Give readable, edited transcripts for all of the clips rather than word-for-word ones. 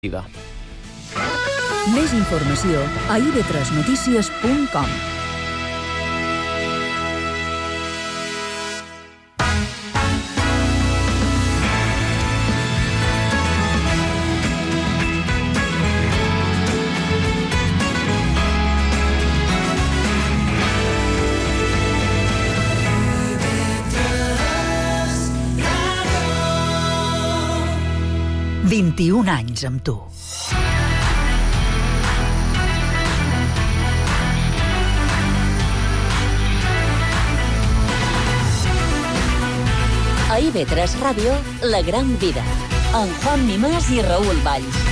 Vida. Més informació a ib3notícies.com. « 21 anys amb tu. A IB3 Ràdio, La Gran Vida, amb Juan Mimàs i Raül Valls.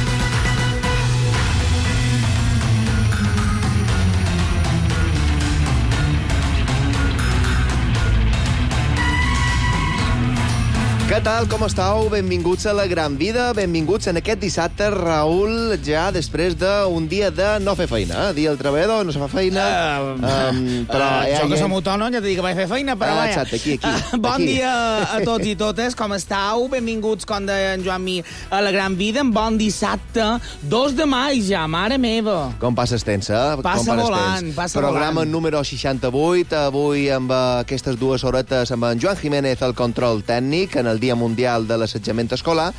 Què tal, com estàu? Benvinguts a La Gran Vida, benvinguts en aquest dissabte, Raül, ja després d'un dia de no fer feina. Dia del treballador, no se fa feina. Jo que som autònom, ja t'he dit que vaig fer feina, però vaja. Exacte, aquí. Bon dia a tots i totes, com estàu? Benvinguts, com deia en Joan Mir, a La Gran Vida, en bon dissabte, 2 de maig ja, mare meva. Com passes temps, eh? Passa volant, passa volant. Programa número 68, avui amb aquestes 2 horetes amb en Joan Jiménez al control tècnic, en el Dia Mundial de l'Assetjament Escolar,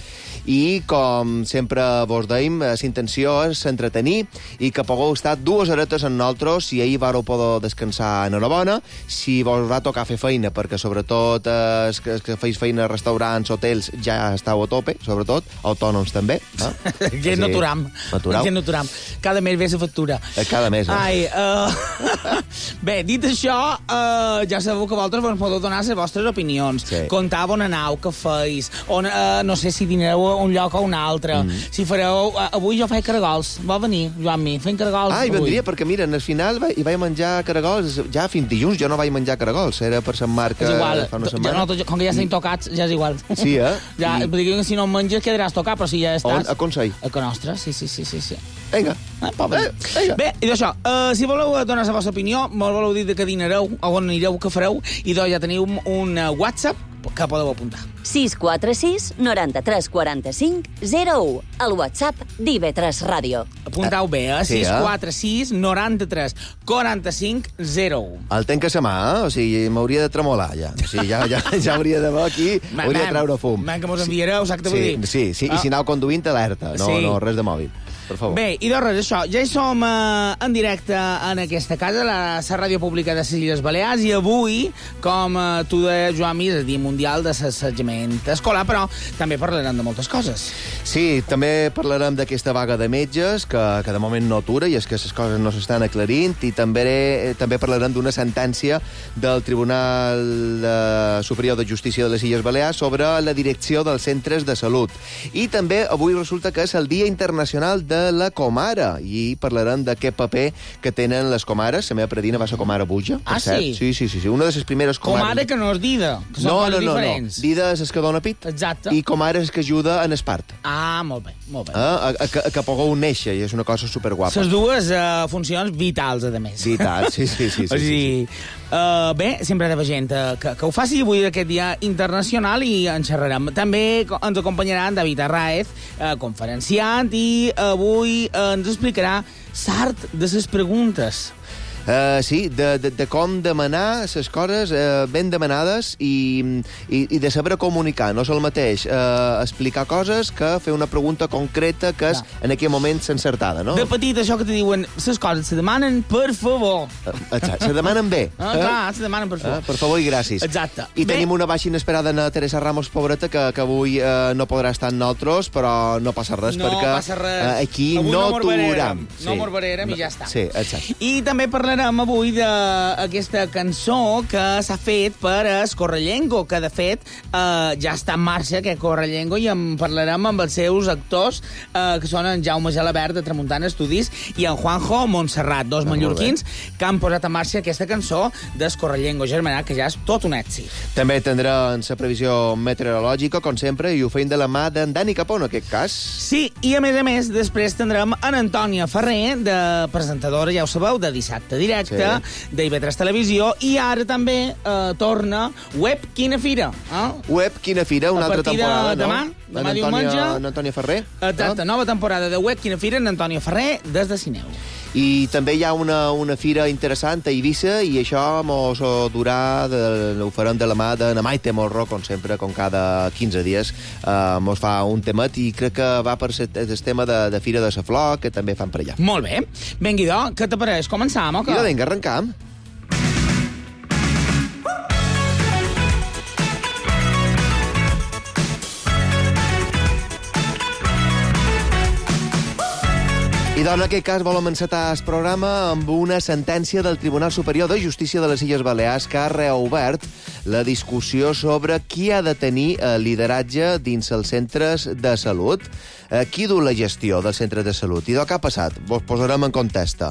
i com sempre vos deim, l'intenció és entretenir i que pugueu estar 2 horetes amb nosaltres. Si ahir vareu poder descansar, enhorabona. Si vos va tocar fer feina, perquè sobretot que feis feina a restaurants, hotels, ja estàu a tope, sobretot, autònoms també. Que no aturam. Cada mes ve la factura. Cada mes, Bé, dit això, ja sabeu que vosaltres vos podeu donar les vostres opinions. Sí. Contar on anau, què feis, on, no sé si dinareu a un lloc o a un altre. Si fareu... Avui jo faig caragols. Va venir, Joan Mi, fent caragols. Hi vendria, perquè mira, al final hi vaig menjar caragols, ja fins dilluns jo no vaig menjar caragols, era per Sant Marc fa una setmana. Com que ja estem tocats, ja és igual. Sí, Ja, que si no en menges quedaràs tocat, però si ja estàs... A Consell? A Can Nostra, sí. Vinga. Bé, i d'això, si voleu donar la vostra opinió, me voleu dir de què dinareu, on anireu, què fareu, i doncs ja teniu un WhatsApp que podeu apuntar. 646 93 45 01, el WhatsApp d'IB3 Ràdio. Apuntau bé, 646 93 45 01. El tenc a sa mà, o sigui, m'hauria de tremolar, ja. O sigui, ja hauria d'haver aquí, hauria de treure fum. Que mos enviareu, saps què vull dir? Sí, i si anau conduint, alerta, no res de mòbil. Per favor. Bé, i doncs res, això, ja hi som en directe en aquesta casa, la ràdio pública de les Illes Balears, i avui, com tu deies, Joan Mir, és el Dia Mundial de l'Assetjament Escolar, però també parlarem de moltes coses. Sí, també parlarem d'aquesta vaga de metges, que de moment no atura, i és que les coses no s'estan aclarint, i també parlarem d'una sentència del Tribunal Superior de Justícia de les Illes Balears sobre la direcció dels centres de salut. I també avui resulta que és el Dia Internacional de la comare, i parlarem d'aquest paper que tenen les comares. La meva predina va ser comare Buja. Sí? Sí. Una de les primeres comares... Comare que no és dida, que són coses diferents. No. Dida és el que dona pit. Exacte. I comare és que ajuda en el part. Molt bé. Que pugueu néixer, i és una cosa superguapa. Les dues funcions vitals, a més. Vitals, sí. Bé, sempre hi ha gent que ho faci avui aquest dia internacional, i en xerrarem. També ens acompanyarà en David Arraez, conferenciant, i avui ens explicarà l'art de les preguntes. Sí, de com demanar les coses ben demanades i de saber comunicar. No és el mateix explicar coses que fer una pregunta concreta que és en aquell moment encertada, no? De petit, això que te diuen, les coses se demanen per favor. Exacte, se demanen bé. Clar, se demanen per favor. Per favor i gràcies. Exacte. I tenim una baixa inesperada en Teresa Ramos, pobreta, que avui no podrà estar amb nosaltres, però no passa res, perquè aquí no aturem. No morbarem i ja està. Sí, exacte. I també parlarem avui d'aquesta cançó que s'ha fet per Correllengo, que de fet ja està en marxa aquest Correllengo, i en parlarem amb els seus actors, que són en Jaume Gelabert de Tramuntana Estudis i en Juanjo Montserrat, dos mallorquins que han posat en marxa aquesta cançó d'Escorrellengo Germanat, que ja és tot un èxit. També tindrem la previsió meteorològica, com sempre, i ho feim de la mà d'en Dani Capó, en aquest cas. Sí, i a més, després tindrem en Antònia Ferrer, de presentadora, ja ho sabeu, de Dissabte directe d'IV3 Televisió, i ara també torna Web Quina Fira. Web Quina Fira, una altra temporada, no? Demà diumenge. N'Antònia Ferrer. Exacte, nova temporada de Web Quina Fira en Antònia Ferrer, des de Sineu. I també hi ha una fira interessant a Eivissa, i això mos durà, ho farem de la mà de na Maite Morro, com sempre, com cada 15 dies, mos fa un temat, i crec que va per el tema de Fira de la Flor, que també fan per allà. Molt bé. Vinga, què t'apareix? Començam, o què? Vinga, arrencam. I en aquest cas volem encetar el programa amb una sentència del Tribunal Superior de Justícia de les Illes Balears que ha reobert la discussió sobre qui ha de tenir lideratge dins els centres de salut. Qui du la gestió dels centres de salut? I què ha passat? Vos posarem en context.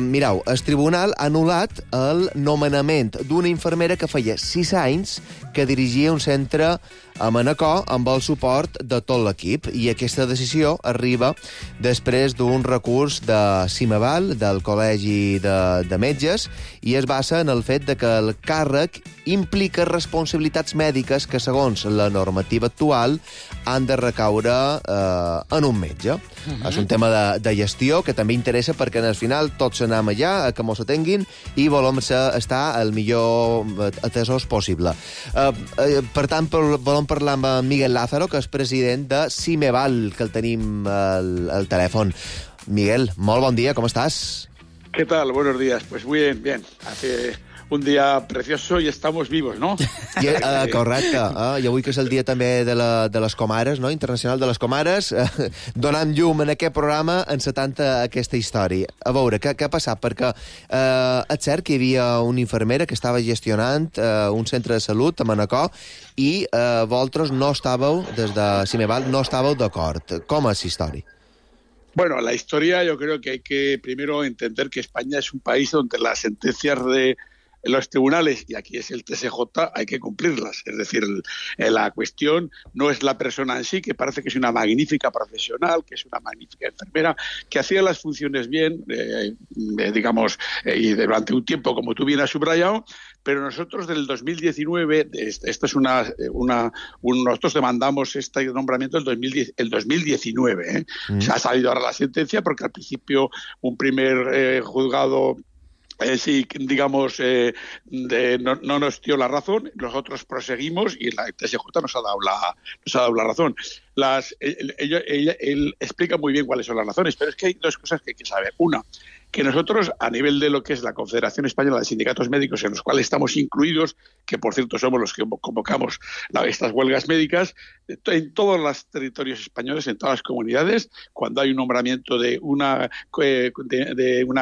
Mireu, el tribunal ha anul·lat el nomenament d'una infermera que feia 6 anys que dirigia un centre a Manacor amb el suport de tot l'equip, i aquesta decisió arriba després d'un recurs de Cimeval, del Col·legi de Metges, i es basa en el fet de que el càrrec implica responsabilitats mèdiques que, segons la normativa actual, han de recaure en un metge. És un tema de gestió que també interessa perquè, al final, tots anem allà, que mos atenguin, i volem estar el millor atesos possible. Per tant, volem parlar amb Miguel Lázaro, que és president de Cimeval, que el tenim al telèfon. Miguel, molt bon dia, com estàs? ¿Qué tal? Buenos días. Pues muy bien, bien. Hace un día precioso y estamos vivos, ¿no? Correcte. I avui que és el dia també de les Comares, no? Internacional de les Comares, donant llum en aquest programa encetant aquesta història. A veure, què ha passat? Perquè és cert que hi havia una infermera que estava gestionant un centre de salut a Manacor, i vosaltres no estàveu, des de Cimeval, no estàveu d'acord. Com és la història? Bueno, la historia, yo creo que hay que primero entender que España es un país donde las sentencias de los tribunales, y aquí es el TSJ, hay que cumplirlas. Es decir, la cuestión no es la persona en sí, que parece que es una magnífica profesional, que es una magnífica enfermera, que hacía las funciones bien, digamos, y durante un tiempo, como tú bien has subrayado, pero nosotros del 2019, esto es nosotros demandamos este nombramiento el 2019, ¿eh? Se ha salido ahora la sentencia porque al principio un primer juzgado sí, digamos, no nos dio la razón, nosotros proseguimos y la TSJ nos ha dado la razón. Él explica muy bien cuáles son las razones, pero es que hay dos cosas que hay que saber. Una, que nosotros, a nivel de lo que es la Confederación Española de Sindicatos Médicos, en los cuales estamos incluidos, que por cierto somos los que convocamos estas huelgas médicas, en todos los territorios españoles, en todas las comunidades, cuando hay un nombramiento de una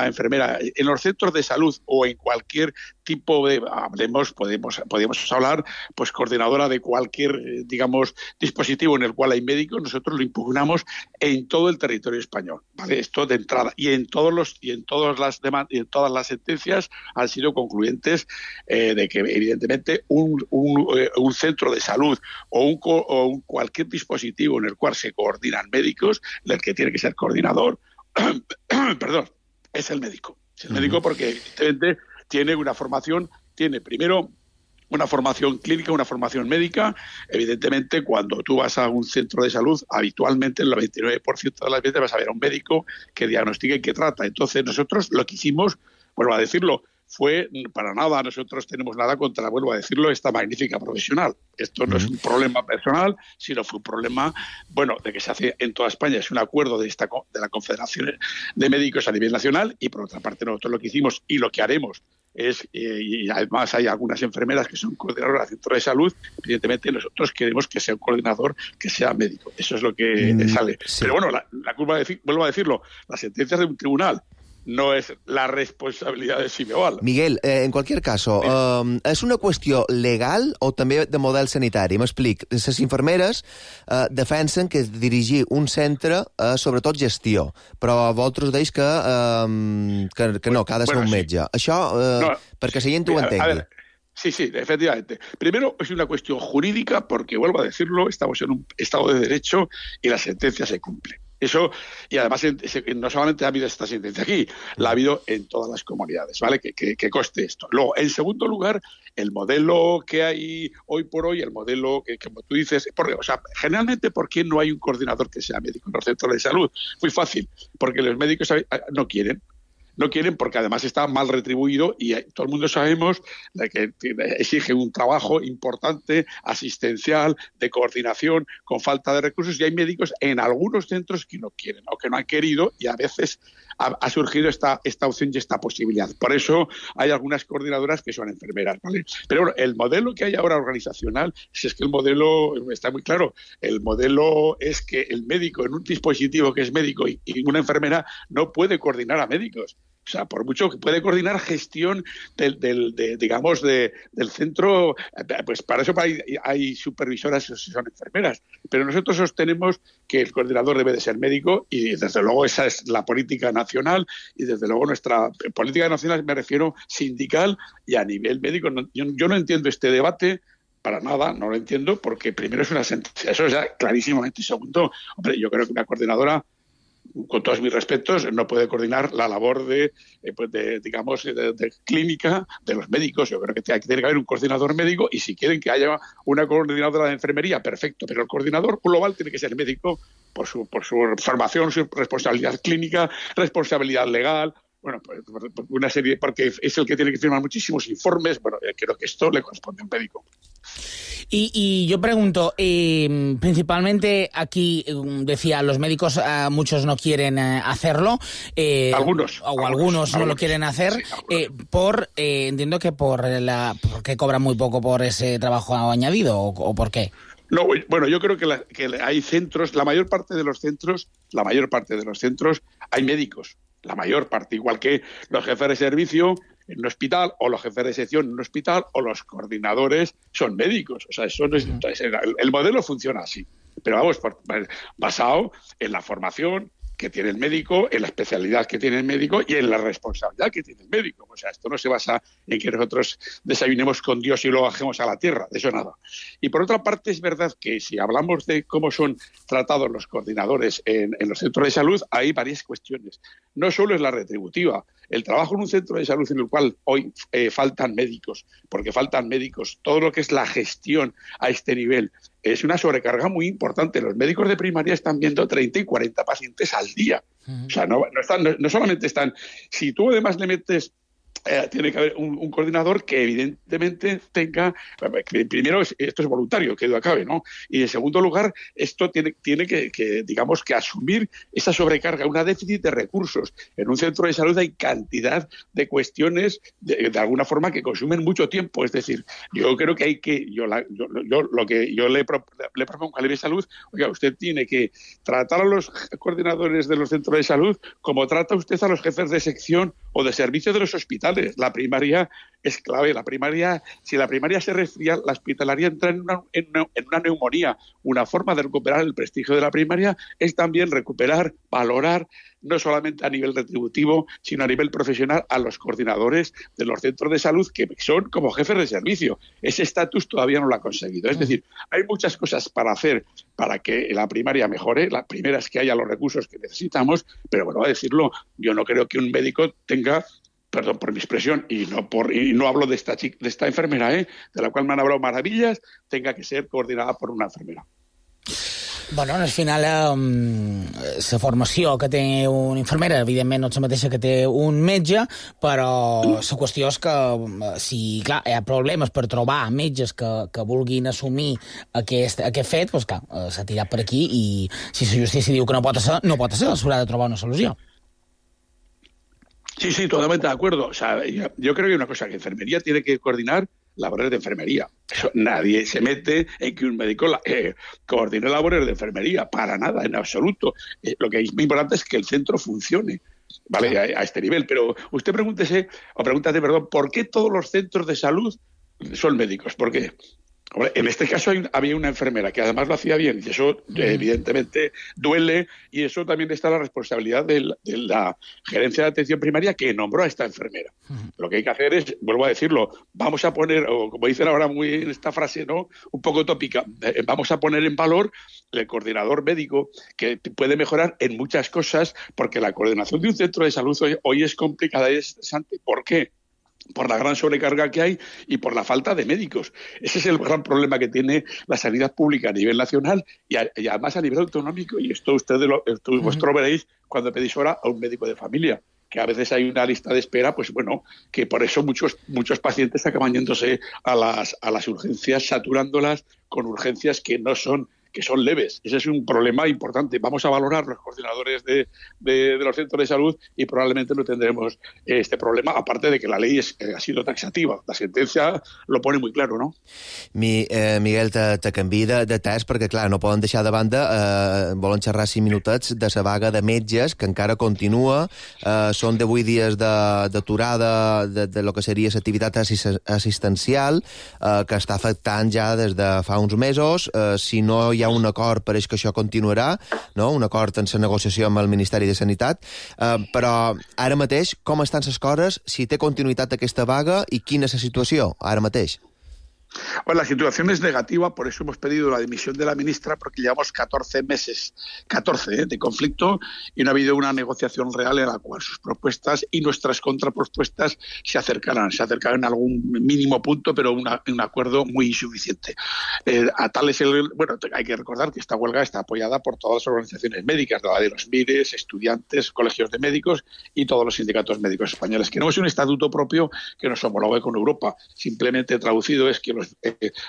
enfermera en los centros de salud o en cualquier tipo de, podemos hablar, pues coordinadora de cualquier, digamos, dispositivo en el cual hay médicos, nosotros lo impugnamos en todo el territorio español, ¿vale? Esto de entrada, y en todas las sentencias han sido concluyentes de que evidentemente un centro de salud o cualquier dispositivo en el cual se coordinan médicos, el que tiene que ser coordinador, perdón, es el médico. Es el médico porque evidentemente tiene una formación, tiene primero una formación clínica, una formación médica. Evidentemente, cuando tú vas a un centro de salud, habitualmente el 99% de las veces vas a ver a un médico que diagnostica y que trata. Entonces, nosotros lo que hicimos, vuelvo a decirlo, fue para nada, nosotros tenemos nada contra, vuelvo a decirlo, esta magnífica profesional. Esto no es un problema personal, sino fue un problema, bueno, de que se hace en toda España. Es un acuerdo de la Confederación de Médicos a nivel nacional, y por otra parte nosotros lo que hicimos y lo que haremos es, y además hay algunas enfermeras que son coordinadoras de centro de salud, evidentemente nosotros queremos que sea un coordinador que sea médico. Eso es lo que sale. Sí. Pero bueno, la culpa, vuelvo a decirlo, las sentencias de un tribunal no es la responsabilidad de Cimeval. Miguel, en cualquier caso, és una qüestió legal o també de model sanitari? M'explic. Les infermeres defensen que dirigir un centre sobretot gestió, però vosaltres deis que no, que ha de ser un metge. Sí. Això, perquè la gent ho entengui. Sí, efectivamente. Primero, es una cuestión jurídica porque, vuelvo a decirlo, estamos en un Estado de Derecho y la sentencia se cumple. Eso, y además no solamente ha habido esta sentencia aquí, la ha habido en todas las comunidades, ¿vale? Que coste esto. Luego, en segundo lugar, el modelo que hay hoy por hoy, el modelo que como tú dices, generalmente, ¿por qué no hay un coordinador que sea médico en los centros de salud? Muy fácil, porque los médicos no quieren. No quieren porque además está mal retribuido y todo el mundo sabemos que exige un trabajo importante, asistencial, de coordinación, con falta de recursos, y hay médicos en algunos centros que no quieren o que no han querido, y a veces ha surgido esta opción y esta posibilidad. Por eso hay algunas coordinadoras que son enfermeras, ¿vale? Pero bueno, el modelo que hay ahora organizacional, si es que el modelo está muy claro, el modelo es que el médico en un dispositivo que es médico y una enfermera no puede coordinar a médicos. O sea, por mucho que puede coordinar gestión del centro, pues para eso hay supervisoras que son enfermeras. Pero nosotros sostenemos que el coordinador debe de ser médico y desde luego esa es la política nacional y desde luego nuestra política nacional, me refiero sindical y a nivel médico. Yo no entiendo este debate. Para nada, no lo entiendo, porque primero es una sentencia, eso es ya clarísimamente. Y segundo, hombre, yo creo que una coordinadora, con todos mis respetos, no puede coordinar la labor de clínica de los médicos. Yo creo que tiene que haber un coordinador médico y si quieren que haya una coordinadora de enfermería, perfecto, pero el coordinador global tiene que ser médico por su formación, su responsabilidad clínica, responsabilidad legal. Bueno, pues una serie, porque es el que tiene que firmar muchísimos informes. Bueno, creo que esto le corresponde a un médico. Y yo pregunto, principalmente aquí, decía, los médicos, muchos no quieren hacerlo. Algunos no lo quieren hacer, sí, entiendo que porque cobran muy poco por ese trabajo añadido, o ¿por qué? No, bueno, yo creo que hay centros, la mayor parte de los centros hay médicos. La mayor parte, igual que los jefes de servicio en un hospital o los jefes de sección en un hospital o los coordinadores son médicos. O sea, el modelo funciona así. Pero vamos, basado en la formación que tiene el médico, en la especialidad que tiene el médico y en la responsabilidad que tiene el médico. O sea, esto no se basa en que nosotros desayunemos con Dios y lo bajemos a la tierra, de eso nada. Y por otra parte, es verdad que si hablamos de cómo son tratados los coordinadores en los centros de salud, hay varias cuestiones. No solo es la retributiva. El trabajo en un centro de salud en el cual hoy faltan médicos, porque faltan médicos, todo lo que es la gestión a este nivel, es una sobrecarga muy importante. Los médicos de primaria están viendo 30 y 40 pacientes al día. O sea, no solamente están... Si tú además le metes... tiene que haber un coordinador que evidentemente tenga... Primero, esto es voluntario, que duda cabe, ¿no? Y en segundo lugar, esto tiene que digamos, que asumir esa sobrecarga, una déficit de recursos. En un centro de salud hay cantidad de cuestiones, de alguna forma, que consumen mucho tiempo. Es decir, yo creo que hay que... lo que yo le propongo a la Ley de Salud, oiga, usted tiene que tratar a los coordinadores de los centros de salud como trata usted a los jefes de sección o de servicio de los hospitales. La primaria es clave. Si la primaria se resfría, la hospitalaria entra en una neumonía. Una forma de recuperar el prestigio de la primaria es también recuperar, valorar, no solamente a nivel retributivo, sino a nivel profesional, a los coordinadores de los centros de salud que son como jefes de servicio. Ese estatus todavía no lo ha conseguido. Es decir, hay muchas cosas para hacer para que la primaria mejore. La primera es que haya los recursos que necesitamos, pero bueno, a decirlo, yo no creo que un médico tenga... Perdón por mi expresión, y no hablo de esta enfermera, de la cual me han hablado maravillas, tenga que ser coordinada por una enfermera. Bueno, al final, la formació que té una infermera, evidentment, no és la mateixa que té un metge, però la qüestió és que, si clar, hi ha problemes per trobar metges que vulguin assumir aquest fet, doncs clar, s'ha tirat per aquí i si la justícia diu que no pot ser, s'haurà de trobar una solució. Sí, totalmente de acuerdo. O sea, yo creo que hay una cosa, que enfermería tiene que coordinar labores de enfermería. Eso, nadie se mete en que un médico coordine labores de enfermería, para nada, en absoluto. Lo que es muy importante es que el centro funcione, ¿vale? A este nivel. Pero usted pregúntate, ¿por qué todos los centros de salud son médicos? ¿Por qué? Hombre, en este caso había una enfermera que además lo hacía bien, y eso evidentemente duele, y eso también está la responsabilidad de la gerencia de atención primaria que nombró a esta enfermera. Lo que hay que hacer es, vuelvo a decirlo, vamos a poner, o como dicen ahora muy en esta frase, ¿no?, un poco tópica, vamos a poner en valor el coordinador médico, que puede mejorar en muchas cosas, porque la coordinación de un centro de salud hoy es complicada y es estresante. ¿Por qué? Por la gran sobrecarga que hay y por la falta de médicos. Ese es el gran problema que tiene la sanidad pública a nivel nacional y además a nivel autonómico, y esto vosotros veréis cuando pedís hora a un médico de familia, que a veces hay una lista de espera, pues bueno, que por eso muchos pacientes acaban yéndose a las urgencias, saturándolas con urgencias que son leves. Ese es un problema importante. Vamos a valorar los coordinadores de los centros de salud y probablemente no tendremos este problema, aparte de que la ley ha sido taxativa. La sentencia lo pone muy claro, no? Miguel, te canvi de test perquè, clar, no poden deixar de banda, volen xerrar 5 minutets de la vaga de metges, que encara continua. Són 18 dies d'aturada de lo que seria l'activitat assistencial, que està afectant ja des de fa uns mesos. Si no hi ha un acord, pareix que això continuarà, no? Un acord en la negociació amb el Ministeri de Sanitat, però ara mateix com estan les coses, si té continuïtat aquesta vaga i quina és la situació ara mateix? Bueno, la situación es negativa, por eso hemos pedido la dimisión de la ministra, porque llevamos 14 meses de conflicto y no ha habido una negociación real en la cual sus propuestas y nuestras contrapropuestas se acercaran en algún mínimo punto, pero un acuerdo muy insuficiente. Hay que recordar que esta huelga está apoyada por todas las organizaciones médicas, la de los MIRES, estudiantes, colegios de médicos y todos los sindicatos médicos españoles. Queremos un estatuto propio que nos homologue con Europa. Simplemente traducido es que los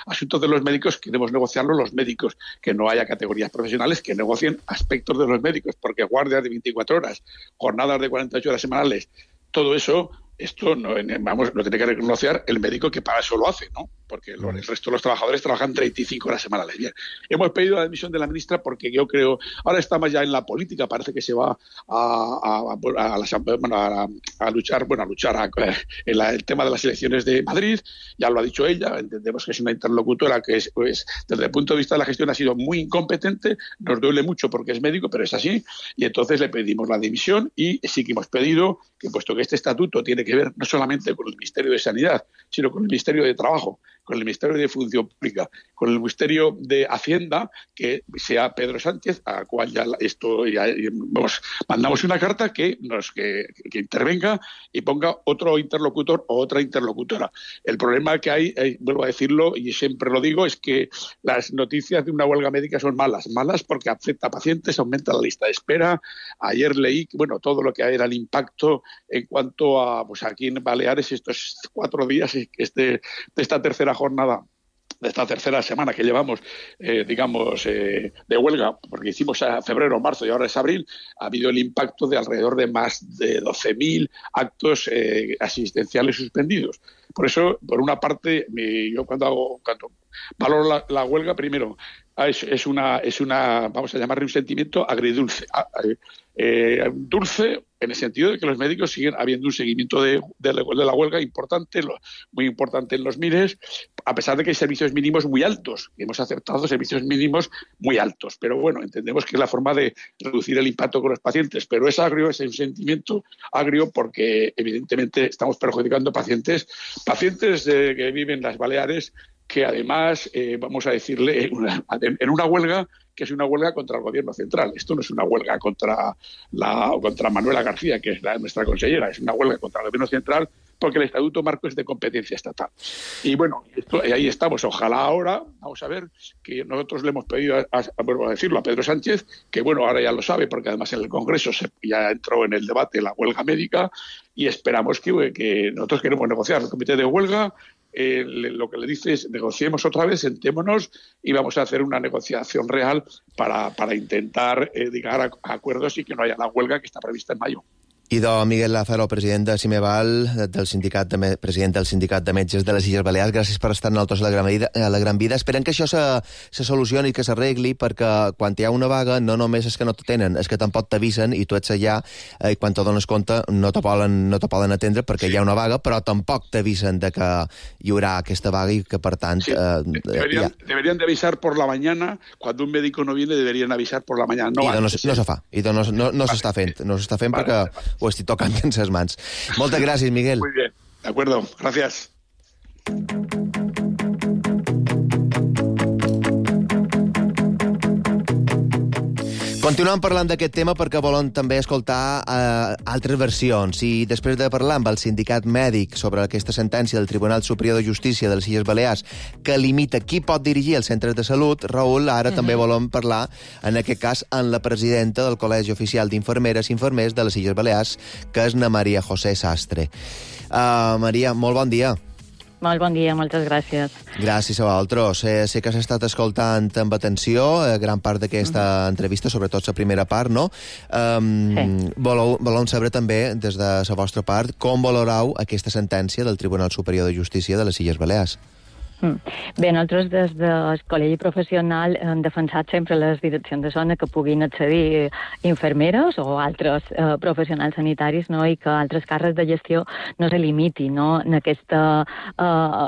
asuntos de los médicos queremos negociarlo los médicos, que no haya categorías profesionales que negocien aspectos de los médicos, porque guardias de 24 horas, jornadas de 48 horas semanales, todo eso, esto no, lo tiene que reconocer el médico que para eso lo hace, ¿no? Porque el resto de los trabajadores trabajan 35 horas semanales. Bien, hemos pedido la dimisión de la ministra porque yo creo, ahora estamos ya en la política, parece que se va a luchar en el tema de las elecciones de Madrid, ya lo ha dicho ella, entendemos que es una interlocutora que es, pues, desde el punto de vista de la gestión ha sido muy incompetente, nos duele mucho porque es médico, pero es así, y entonces le pedimos la dimisión y sí que hemos pedido que, puesto que este estatuto tiene que ver no solamente con el Ministerio de Sanidad, sino con el Ministerio de Trabajo, con el Ministerio de Función Pública, con el Ministerio de Hacienda, que sea Pedro Sánchez, al cual mandamos una carta que intervenga y ponga otro interlocutor o otra interlocutora. El problema que hay, vuelvo a decirlo y siempre lo digo, es que las noticias de una huelga médica son malas porque afecta a pacientes, aumenta la lista de espera. Ayer leí, todo lo que era el impacto en cuanto a, pues aquí en Baleares, estos 4 días de esta tercera jornada, de esta tercera semana que llevamos, de huelga, porque hicimos a febrero, marzo y ahora es abril, ha habido el impacto de alrededor de más de 12.000 actos asistenciales suspendidos. Por eso, por una parte, yo cuando valoro la huelga, primero, es una, vamos a llamarle un sentimiento agridulce. Dulce en el sentido de que los médicos siguen habiendo un seguimiento de la huelga importante, muy importante en los MIRES, a pesar de que hay servicios mínimos muy altos. Hemos aceptado servicios mínimos muy altos, pero bueno, entendemos que es la forma de reducir el impacto con los pacientes, pero es agrio, es un sentimiento agrio porque evidentemente estamos perjudicando pacientes que viven en las Baleares, que además, vamos a decirle, en una huelga que es una huelga contra el gobierno central. Esto no es una huelga contra Manuela García, que es nuestra consellera, es una huelga contra el gobierno central porque el Estatuto Marco es de competencia estatal. Y bueno, ahí estamos. Ojalá ahora, vamos a ver, que nosotros le hemos pedido, vuelvo a decirlo, a Pedro Sánchez, que bueno, ahora ya lo sabe, porque además en el Congreso ya entró en el debate la huelga médica y esperamos que nosotros queremos negociar el comité de huelga. Lo que le dice es negociemos otra vez, sentémonos y vamos a hacer una negociación real para intentar llegar a acuerdos y que no haya la huelga que está prevista en mayo. Idò Miguel Lázaro, president de Cimeval, president del Sindicat de Metges de les Illes Balears, gràcies per estar en el Tos a la Gran Vida. Esperem que això se solucioni i que s'arregli, perquè quan hi ha una vaga no només és que no te tenen, és que tampoc t'avisen i tu ets allà i quan te dones compte no te poden atendre perquè hi ha una vaga, però tampoc t'avisen de que hi haurà aquesta vaga i que, per tant... Sí, deberían de avisar por la mañana. Cuando un médico no viene, deberían avisar por la mañana. No se fa. No s'està fent. No s'està fent perquè ho estic tocant en ses mans. Moltes gràcies, Miguel. Muy bien. De acuerdo. Gracias. Continuem parlant d'aquest tema perquè volem també escoltar altres versions. I després de parlar amb el sindicat mèdic sobre aquesta sentència del Tribunal Superior de Justícia de les Illes Balears que limita qui pot dirigir els centres de salut, Raül, ara també volem parlar, en aquest cas, amb la presidenta del Col·legi Oficial d'Infermeres i Infermers de les Illes Balears, que és na Maria José Sastre. Maria, molt bon dia. Molt bon dia, moltes gràcies. Gràcies a vosaltres. Sé que has estat escoltant amb atenció gran part d'aquesta entrevista, sobretot la primera part, no? Sí. Volem saber també, des de la vostra part, com valorau aquesta sentència del Tribunal Superior de Justícia de les Illes Balears. Bé, nosaltres des del Col·legi Professional hem defensat sempre les direccions de zona que puguin accedir infermeres o altres professionals sanitaris, no? I que altres càrrecs de gestió no se limiti, no? En aquesta,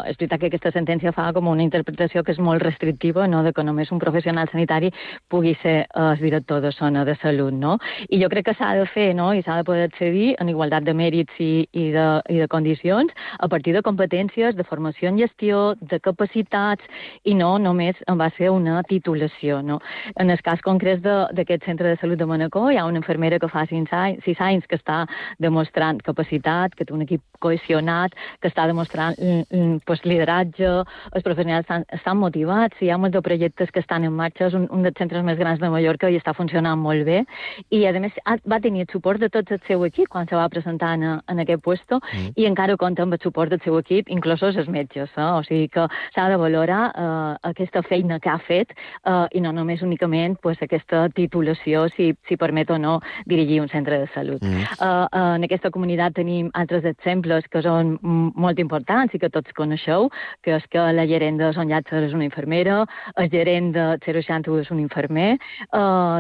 és veritat que aquesta sentència fa com una interpretació que és molt restrictiva, no? De que només un professional sanitari pugui ser el director de zona de salut, no? I jo crec que s'ha de fer, no? I s'ha de poder accedir en igualtat de mèrits i de condicions a partir de competències, de formació en gestió, de capacitats, i no només va ser una titulació, no? En el cas concret d'aquest centre de salut de Manacor hi ha una infermera que fa 6 anys que està demostrant capacitat, que té un equip cohesionat, que està demostrant lideratge, els professionals estan motivats, hi ha molts de projectes que estan en marxa, és un dels centres més grans de Mallorca i està funcionant molt bé, i a més va tenir el suport de tot el seu equip quan se va presentar en aquest puesto, i encara compta amb el suport del seu equip, inclosos els metges, o sigui que s'ha de valorar aquesta feina que ha fet i no només únicament aquesta titulació, si permet o no dirigir un centre de salut. En aquesta comunitat tenim altres exemples que són molt importants i que tots coneixeu, que és que la gerent de Son Llàtzer és una infermera, el gerent de 061 és un infermer,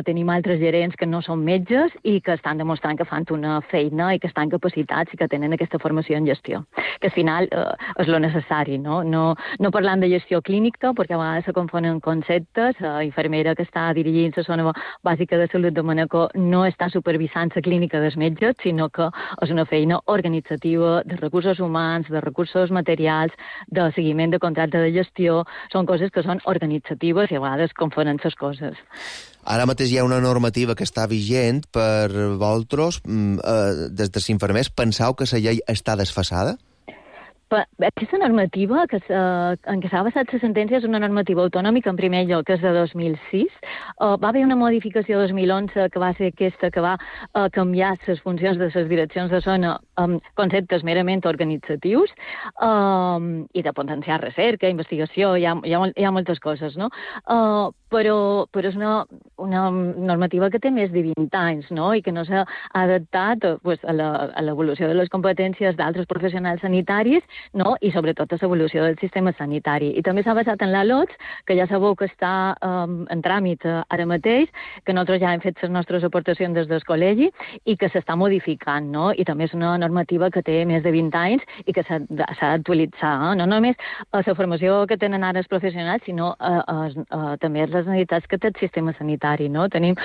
tenim altres gerents que no són metges i que estan demostrant que fan una feina i que estan capacitats i que tenen aquesta formació en gestió, que al final és lo necessari, no parlant de gestió clínica, perquè a vegades se confonen conceptes. La infermera que està dirigint la zona bàsica de salut de Manacor no està supervisant la clínica dels metges, sinó que és una feina organitzativa de recursos humans, de recursos materials, de seguiment de contracte de gestió. Són coses que són organitzatives i a vegades confonen les coses. Ara mateix hi ha una normativa que està vigent per vosaltres. Des dels infermers, penseu que la llei està desfasada? Aquesta normativa en què s'ha basat la sentència és una normativa autonòmica, en primer lloc, que és de 2006. Va haver una modificació 2011 que va ser aquesta, que va canviar les funcions de les direccions de zona amb conceptes merament organitzatius i de potenciar recerca, investigació, hi ha moltes coses, no? Però és una normativa que té més de 20 anys, no? I que no s'ha adaptat a l'evolució de les competències d'altres professionals sanitaris, no? I sobretot a l'evolució del sistema sanitari. I també s'ha basat en la LOTS, que ja sabeu que està en tràmit ara mateix, que nosaltres ja hem fet les nostres aportacions des del col·legi i que s'està modificant, no? I també és una normativa que té més de 20 anys i que s'ha d'actualitzar, no només a la formació que tenen ara els professionals, sinó també a les necessitats que té el sistema sanitari, no? Tenim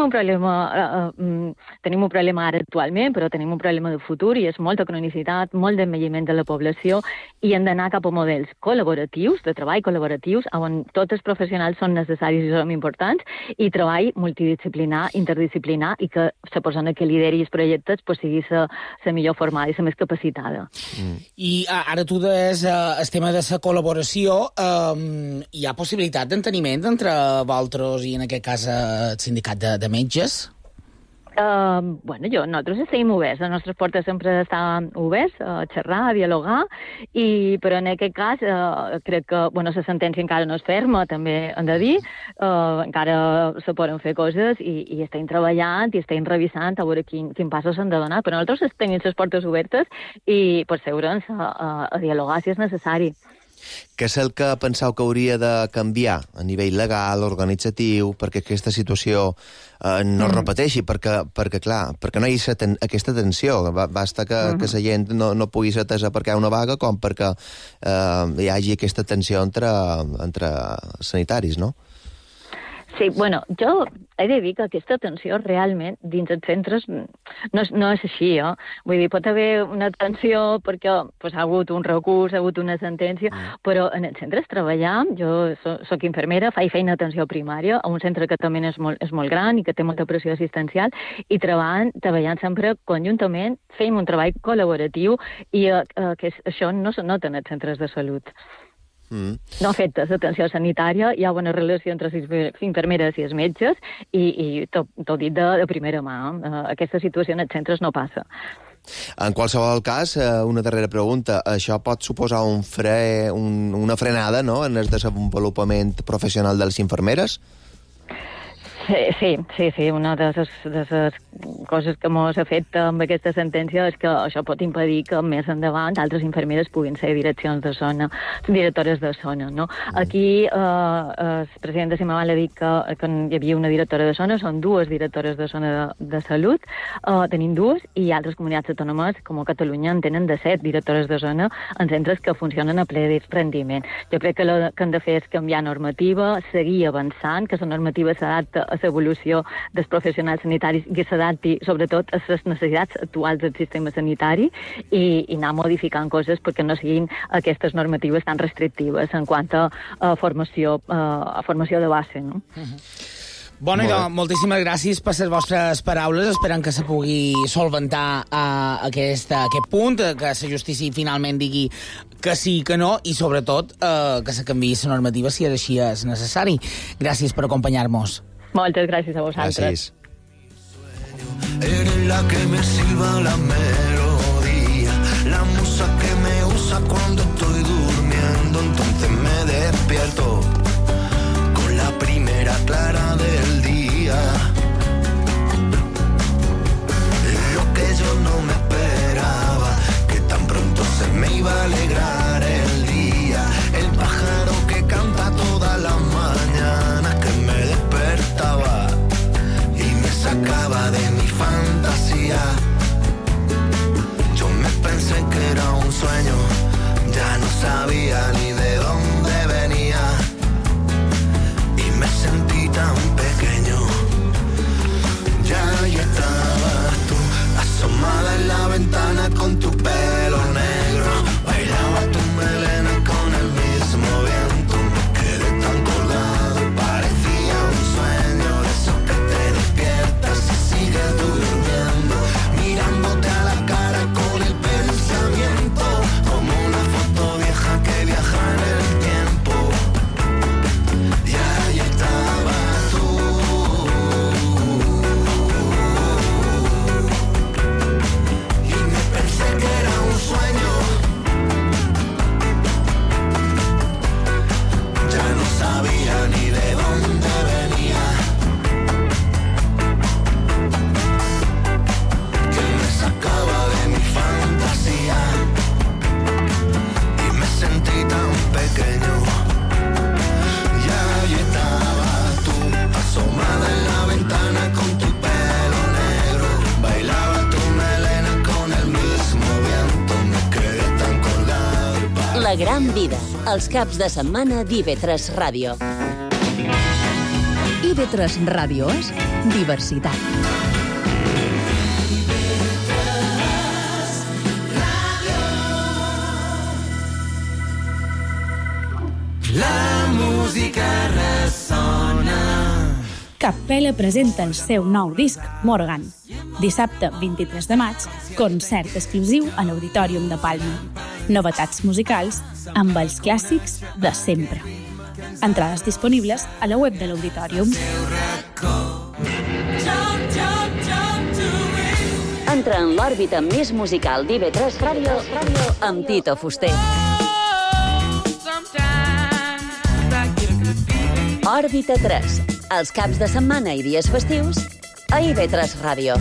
un problema ara actualment, però tenim un problema de futur i és molta cronicitat, molt d'envelliment de la població, i hem d'anar cap a models col·laboratius, de treball col·laboratius, on tots els professionals són necessaris i són importants, i treball multidisciplinar, interdisciplinar, i que la persona que lideri els projectes sigui la millor formada i la més capacitada. I ara tu deies el tema de la col·laboració. Hi ha possibilitat d'enteniment entre vosaltres i, en aquest cas, el sindicat de metges? Nosaltres estem oberts, les nostres portes sempre estan oberts a xerrar, a dialogar, però en aquest cas crec que la sentència encara no és ferma, també hem de dir, encara se poden fer coses i estem treballant i estem revisant a veure quin passos s'han de donar, però nosaltres tenim les portes obertes i per seure'ns a dialogar si és necessari. Què és el que penseu que hauria de canviar a nivell legal, organitzatiu, perquè aquesta situació no es repeteixi? Perquè no hi ha aquesta tensió. Basta que la gent no pugui ser atesa perquè hi ha una vaga com perquè hi hagi aquesta tensió entre sanitaris, no? Sí, jo he de dir que aquesta tensió realment dins els centres no és així, Vull dir, pot haver una tensió perquè ha hagut un recurs, ha hagut una sentència, però en els centres treballam, jo soc infermera, faig feina d'atenció primària, a un centre que també és molt gran i que té molta pressió assistencial, i treballant sempre conjuntament, fem un treball col·laboratiu i això no se nota en els centres de salut. No afecta l'atenció sanitària, hi ha bona relació entre les infermeres i els metges i t'ho dit de primera mà. Aquesta situació en els centres no passa. En qualsevol cas, una darrera pregunta. Això pot suposar una frenada, no?, en el desenvolupament professional de les infermeres? Sí. Una de les coses que ens afecta amb aquesta sentència és que això pot impedir que més endavant altres infermeres puguin ser directores de zona, no? Aquí el president de Cimaval ha dit que hi havia una directora de zona, són dues directores de zona de salut, tenim dues, i altres comunitats autònomes, com a Catalunya, en tenen de 7 directores de zona en centres que funcionen a ple rendiment. Jo crec que el que hem de fer és canviar normativa, seguir avançant, que la normativa s'adapta a l'evolució dels professionals sanitaris i que s'adapti, sobretot, a les necessitats actuals del sistema sanitari i anar modificant coses perquè no siguin aquestes normatives tan restrictives en quant a formació de base, no? Bueno, moltíssimes gràcies per les vostres paraules. Esperem que se pugui solventar aquest punt, que la justícia finalment digui que sí, que no, i sobretot que se canviï la normativa si així és necessari. Gràcies per acompanyar-nos. Moltes gràcies a vosaltres. Gràcies. Eres la que me silba la melodía, la musa que me usa cuando estoy durmiendo, entonces me despierto con la primera clara del día. Lo que yo no me esperaba, que tan pronto se me iba a alegrar el día, el pájaro que canta todas las mañanas, que me despertaba y me sacaba de mi fantasía. Yo me pensé que era un sueño, ya no sabía ni de dónde venía y me sentí tan pequeño. Ya ahí estabas tú, asomada en la ventana con tu pelo negro, bailaba tu melena con el mismo viento, me quedé tan colgado, parecía un sueño de esos que te despiertas y sigues durmiendo, mirándote a la cara con el pensamiento, como una foto vieja que viaja en el tiempo. Y ahí estabas tú, y me pensé que era un sueño, ya no sabía ni de dónde venía, que me sacaba de mi fantasía y me sentí tan pequeño. Y ahí estabas tú, asomada en la ventana con tu pelo negro, bailaba tu melena con el mismo viento, me quedé tan colgado. La gran vida, els caps de setmana d'IV3 Ràdio. IB3 Ràdio és diversitat. La música ressona. Capella presenta el seu nou disc, Morgan. Dissabte 23 de maig, concert exclusiu a l'Auditorium de Palma. Novetats musicals amb els clàssics de sempre. Entrades disponibles a la web de l'Auditorium. Entra en l'òrbita més musical d'IV3 Ràdio amb Tito Fuster. Òrbita 3, els caps de setmana i dies festius a IV3 Ràdio.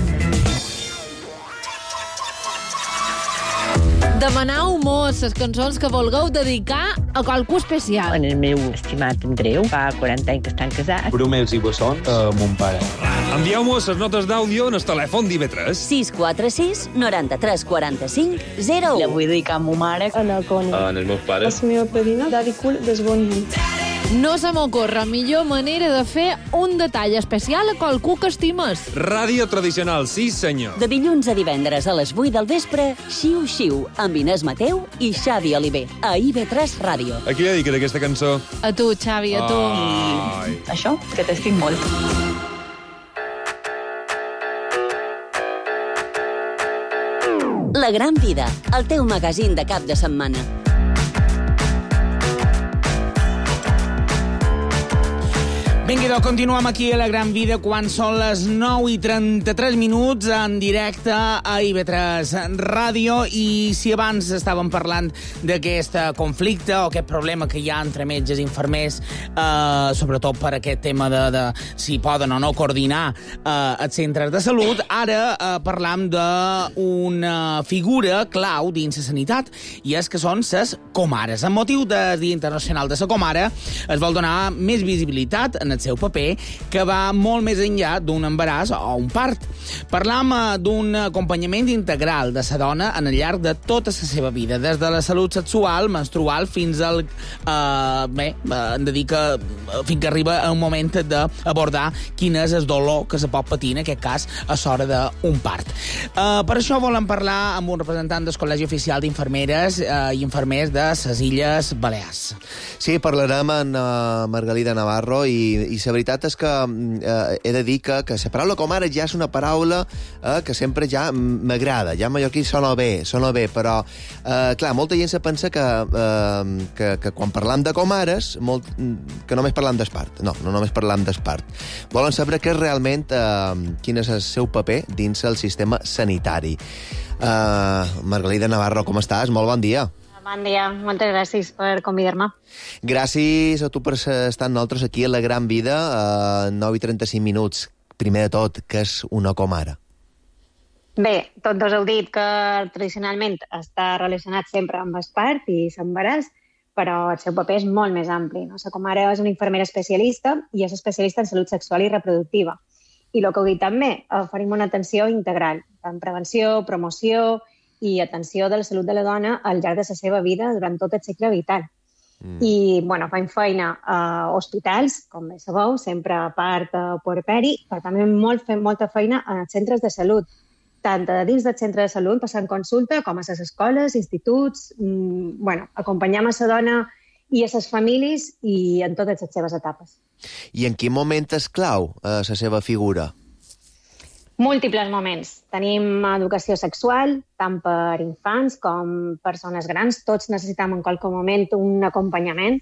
Demanau mos les cançons que vulgueu dedicar a qualcú especial. En el meu estimat Andreu, fa 40 anys que estan casats. Bromels i bessons a mon pare. Envieu-mos les notes d'àudio en el telèfon d'IV3. 646 93 45 01. La vull dedicar a ma mare. A la Connie. En els meus pares. A la meva padrina, Daddy Cool, des Bonny. No se m'ocorre millor manera de fer un detall especial a qualcú que estimes. Ràdio tradicional, sí senyor. De dilluns a divendres a les 8 del vespre, Xiu Xiu, amb Inés Mateu i Xavi Oliver, a IV3 Ràdio. A qui li dediques aquesta cançó? A tu, Xavi, a tu. Ai. Això, que t'estic molt. La Gran Vida, el teu magazín de cap de setmana. Vinga, doncs continuem aquí a La Gran Vida quan són les 9:33 en directe a IV3 Ràdio. I si abans estàvem parlant d'aquest conflicte o aquest problema que hi ha entre metges i infermers, sobretot per aquest tema de si poden o no coordinar els centres de salut, ara parlam d'una figura clau dins la sanitat, i és que són les comares. Amb motiu del Dia Internacional de la Comare es vol donar més visibilitat en el seu paper, que va molt més enllà d'un embaràs o un part. Parlam d'un acompanyament integral de la dona en el llarg de tota la seva vida, des de la salut sexual, menstrual, fins al... hem de dir que fins que arriba un moment d'abordar quin és el dolor que se pot patir, en aquest cas, a l'hora d'un part. Per això volem parlar amb un representant del Col·legi Oficial d'Infermeres i Infermers de les Illes Balears. Sí, parlarem amb Margalida Navarro i la veritat és que he de dir que la paraula comare ja és una paraula que sempre ja m'agrada. Ja en mallorquí sona bé, però, clar, molta gent se pensa que quan parlam de comares, que només parlam d'espart. No només parlam d'espart. Volen saber què és realment, quin és el seu paper dins el sistema sanitari. Margalida Navarro, com estàs? Molt bon dia. Bon dia, moltes gràcies per convidar-me. Gràcies a tu per estar amb nosaltres aquí a La Gran Vida, a 9:35. Primer de tot, què és una comare? Bé, tots dos heu dit que tradicionalment està relacionat sempre amb l'espart i l'embaràs, però el seu paper és molt més ampli. No? La comare és una infermera especialista i és especialista en salut sexual i reproductiva. I el que heu dit també, oferim una atenció integral, en prevenció, promoció i atenció de la salut de la dona al llarg de la seva vida durant tot el cicle vital. I, fem feina a hospitals, com bé sabeu, sempre a part puerperi, però també fem molta feina a centres de salut, tant dins del centre de salut, passant consulta, com a les escoles, instituts, acompanyam a la dona i a les famílies i en totes les seves etapes. I en quin moment és clau la seva figura? Múltiples moments. Tenim educació sexual, tant per infants com persones grans. Tots necessitem en qualsevol moment un acompanyament.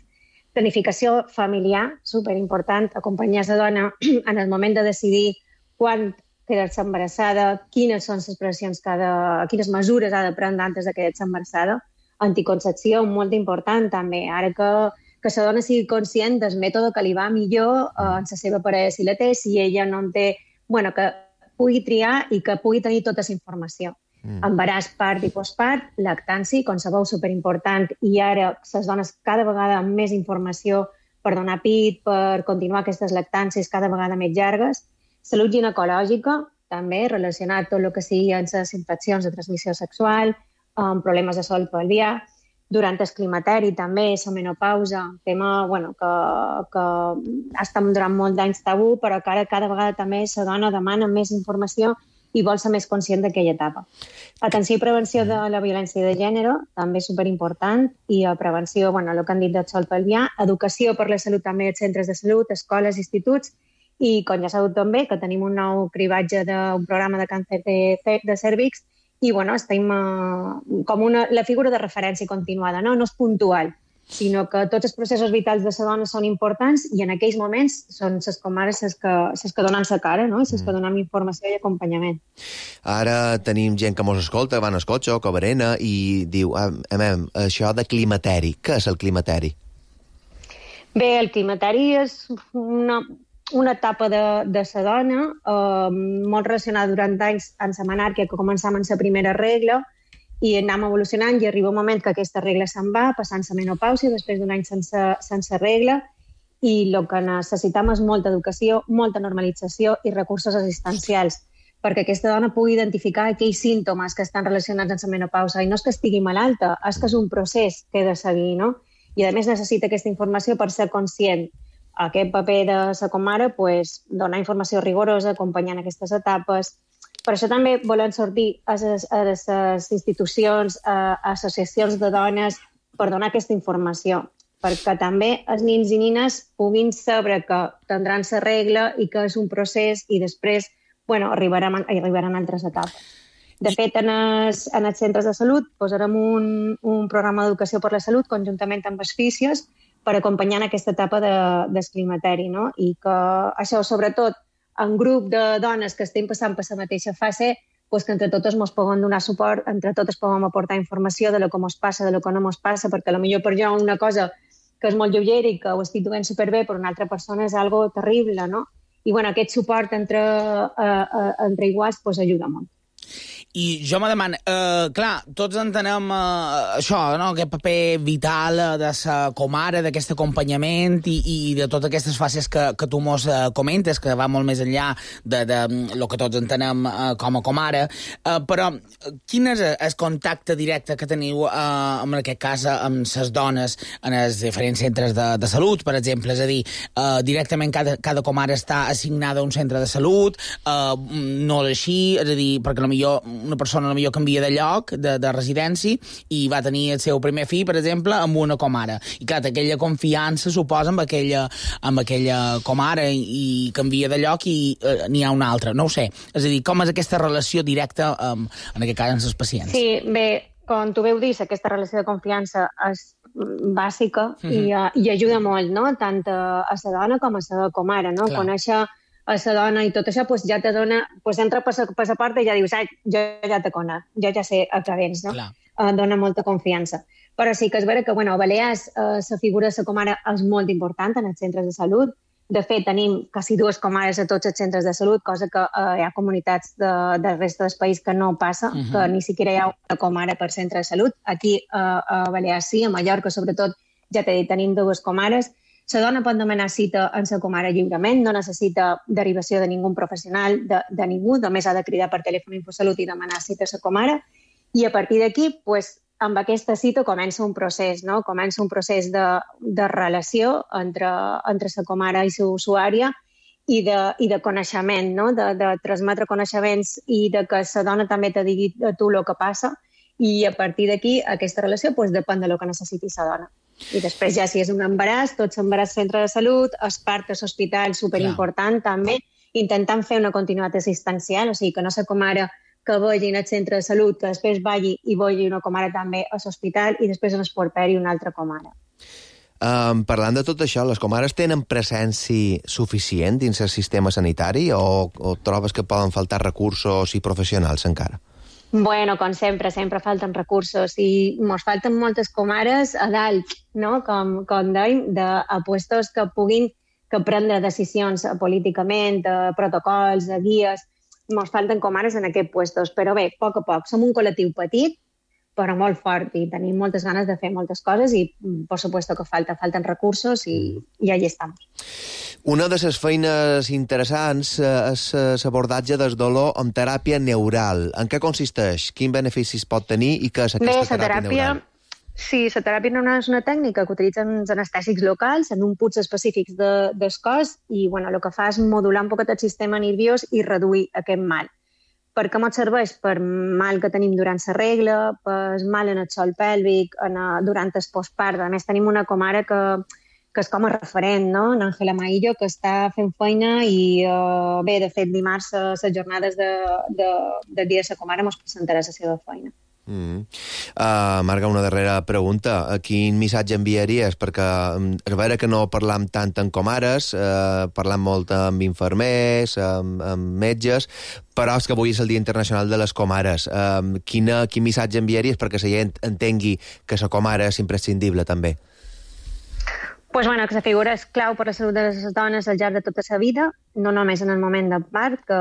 Planificació familiar, superimportant. Acompanyar la dona en el moment de decidir quan quedar-se embarassada, quines són les pressions quines mesures ha de prendre antes de quedar-se embarassada. Anticoncepció, molt important també. Ara que la dona sigui conscient del mètode que li va millor en la seva parella si la té, si ella no en té, que pugui triar i que pugui tenir tota la informació. Embaràs, part i postpart, lactància, com sabeu, superimportant, i ara les dones cada vegada amb més informació per donar pit, per continuar aquestes lactàncies cada vegada més llargues. Salut ginecològica, també relacionat tot el que sigui amb les infeccions de transmissió sexual, amb problemes de sol pelvià. Durant el climateri també, la menopausa, tema que ha estat durant molt d'anys tabú, però que ara cada vegada també la dona demana més informació i vol ser més conscient d'aquella etapa. Atenció i prevenció de la violència de gènere, també superimportant, i prevenció, el que han dit del sol pelvià, educació per la salut també als centres de salut, escoles, instituts, i com ja sabeu també, que tenim un nou cribatge d'un programa de càncer de cèrvix, i estem com la figura de referència continuada, no és puntual. sinó que tots els processos vitals de la dona són importants i en aquells moments són les comares les que donen la cara, no? Les que donen informació i acompanyament. Ara tenim gent que mos escolta, van al cotxe o que berena i diu, això de climateri, què és el climateri? Bé, el climateri és una etapa de la dona molt relacionada durant anys en la menàrquia, que començam en la primera regla i anem evolucionant i arriba un moment que aquesta regla se'n va, passant la menopàusia, després d'un any sense regla, i el que necessitem és molta educació, molta normalització i recursos assistencials, perquè aquesta dona pugui identificar aquells símptomes que estan relacionats amb la menopausa. I no és que estigui malalta, és que és un procés que he de seguir, no? I a més necessita aquesta informació per ser conscient. Aquest paper de la comare, donar informació rigorosa, acompanyant aquestes etapes. Per això també volem sortir a les institucions, a associacions de dones, per donar aquesta informació, perquè també els nins i nines puguin saber que tindran la regla i que és un procés i després arribaran altres etapes. De fet, en els centres de salut posarem un programa d'educació per la salut conjuntament amb els fisios per acompanyar aquesta etapa del climateri, no? I que això, sobretot, en grup de dones que estem passant per la mateixa fase, que entre totes ens puguem donar suport, entre totes puguem aportar informació de lo que ens passa, de lo que no ens passa, perquè potser per jo una cosa que és molt lleugera i que ho estic duent superbé, per una altra persona és algo terrible, no? I aquest suport entre iguals ajuda molt. I jo me demano, clar, tots entenem això, no? Aquest paper vital de la comare, d'aquest acompanyament i de totes aquestes fases que tu mos comentes, que va molt més enllà de lo que tots entenem com a comare, però quin és el contacte directe que teniu, en aquest cas, amb les dones en els diferents centres de salut, per exemple? És a dir, directament cada comare està assignada a un centre de salut, no és així, és a dir, perquè potser una persona potser canvia de lloc, de residència, i va tenir el seu primer fill, per exemple, amb una comare. I clar, aquella confiança suposa amb aquella comare i canvia de lloc i n'hi ha una altra. No ho sé. És a dir, com és aquesta relació directa, en aquest cas, amb els pacients? Sí, bé, com tu veu dir, aquesta relació de confiança és bàsica i ajuda molt, no? Tant a la dona com a la comare, no? Conèixer a la dona i tot això, ja te dona, entra per la porta i ja dius, jo ja te conec, jo ja sé a què vens, no? Dona molta confiança. Però sí que és vera que, a Balears, la figura de la comare és molt important en els centres de salut. De fet, tenim quasi 2 comares a tots els centres de salut, cosa que hi ha comunitats de resta del país que no passa, que ni siquiera hi ha una comare per centre de salut. Aquí, a Balears sí, a Mallorca, sobretot, ja t'he dit, tenim 2 comares. La dona pot demanar cita en la comare lliurement, no necessita derivació de ningú professional, de ningú, només ha de cridar per telèfon Infosalut i demanar cita a la comare. I a partir d'aquí, amb aquesta cita comença un procés, no? Comença un procés de relació entre la comare i la usuària i de coneixement, no? De transmetre coneixements i de que la dona també te digui a tu el que passa. I a partir d'aquí, aquesta relació depèn del que necessiti la dona. I després ja, si és un embaràs, tot l'embaràs centre de salut, el part a l'hospital, superimportant també, intentant fer una continuïtat assistencial, o sigui, que no la comare que vagi al centre de salut, que després vagi i vagi una comare també a l'hospital i després en el porperi una altra comare. Parlant de tot això, les comares tenen presència suficient dins el sistema sanitari o trobes que poden faltar recursos i professionals encara? Bueno, com sempre falten recursos i ens falten moltes comares a dalt, no? Com dèiem, a puestos que puguin prendre decisions políticament, protocols, guies. Ens falten comares en aquests puestos, però bé, a poc. Som un col·lectiu petit, però molt fort i tenim moltes ganes de fer moltes coses i, per supuesto, que falten recursos i allà estem. Una de les feines interessants és l'abordatge del dolor amb teràpia neural. En què consisteix? Quin beneficis pot tenir i què és aquesta teràpia neural? Sí, la teràpia neural és una tècnica que utilitzen els anestèsics locals en un punts específics del cos i el que fa és modular un poquet el sistema nerviós i reduir aquest mal. Per què ens serveix? Per mal que tenim durant la regla, per mal en el sòl pèlvic, durant el postpart. A més, tenim una comare que és com a referent, no? L'Àngela Maillo, que està fent feina i, bé, de fet, dimarts, les jornades del dia de la comare, ens presentarà la seva feina. Marga, una darrera pregunta. Quin missatge enviaries? Perquè a veure que no parlam tant en comares, parlam molt amb infermers, amb metges, però és que avui és el Dia Internacional de les Comares. Quin missatge enviaries perquè la gent entengui que la comare és imprescindible també? Pues bueno, que la figura és clau per la salut de les dones al llarg de tota la vida, no només en el moment de part, que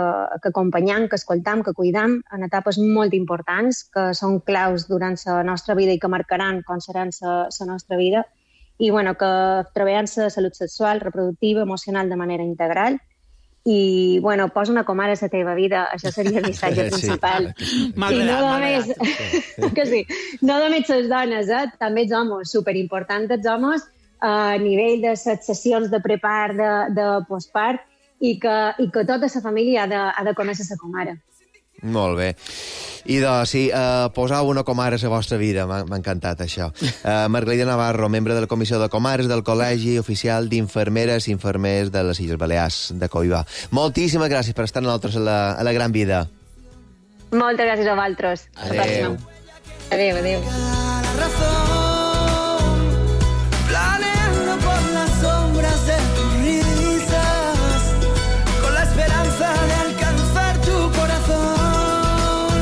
acompanyam, que escoltam, que cuidam en etapes molt importants, que són claus durant la nostra vida i que marcaran com seran la nostra vida, i bueno, que treballen la salut sexual, reproductiva, emocional de manera integral, i bueno, posa una comare a la teva vida, això seria el missatge principal. I no només, que sí, no només les dones, també els homes, superimportants els homes, a nivell de les sessions de prepart, de postpart, i que tota la família ha de conèixer la comare. Molt bé. I doncs, sí, posau una comare a la vostra vida, m'ha encantat això. Margalida Navarro, membre de la Comissió de Comares del Col·legi Oficial d'Infermeres i Infermers de les Illes Balears de Coiba. Moltíssimes gràcies per estar amb nosaltres a la Gran Vida. Moltes gràcies a vosaltres. Adéu. Adéu, adéu. Planeando por las sombras de tus risas, con la esperanza de alcanzar tu corazón.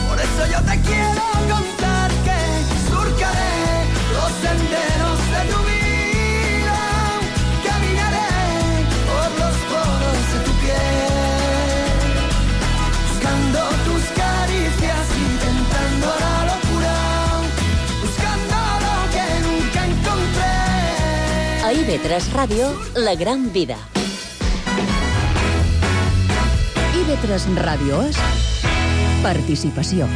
Por eso yo te quiero contar que surcaré los senderos de tu vida, caminaré por los poros de tu piel, buscando tus caricias, intentando la locura, buscando lo que nunca encontré. A IB3 Ràdio, La Gran Vida. IB3 Ràdio és participació.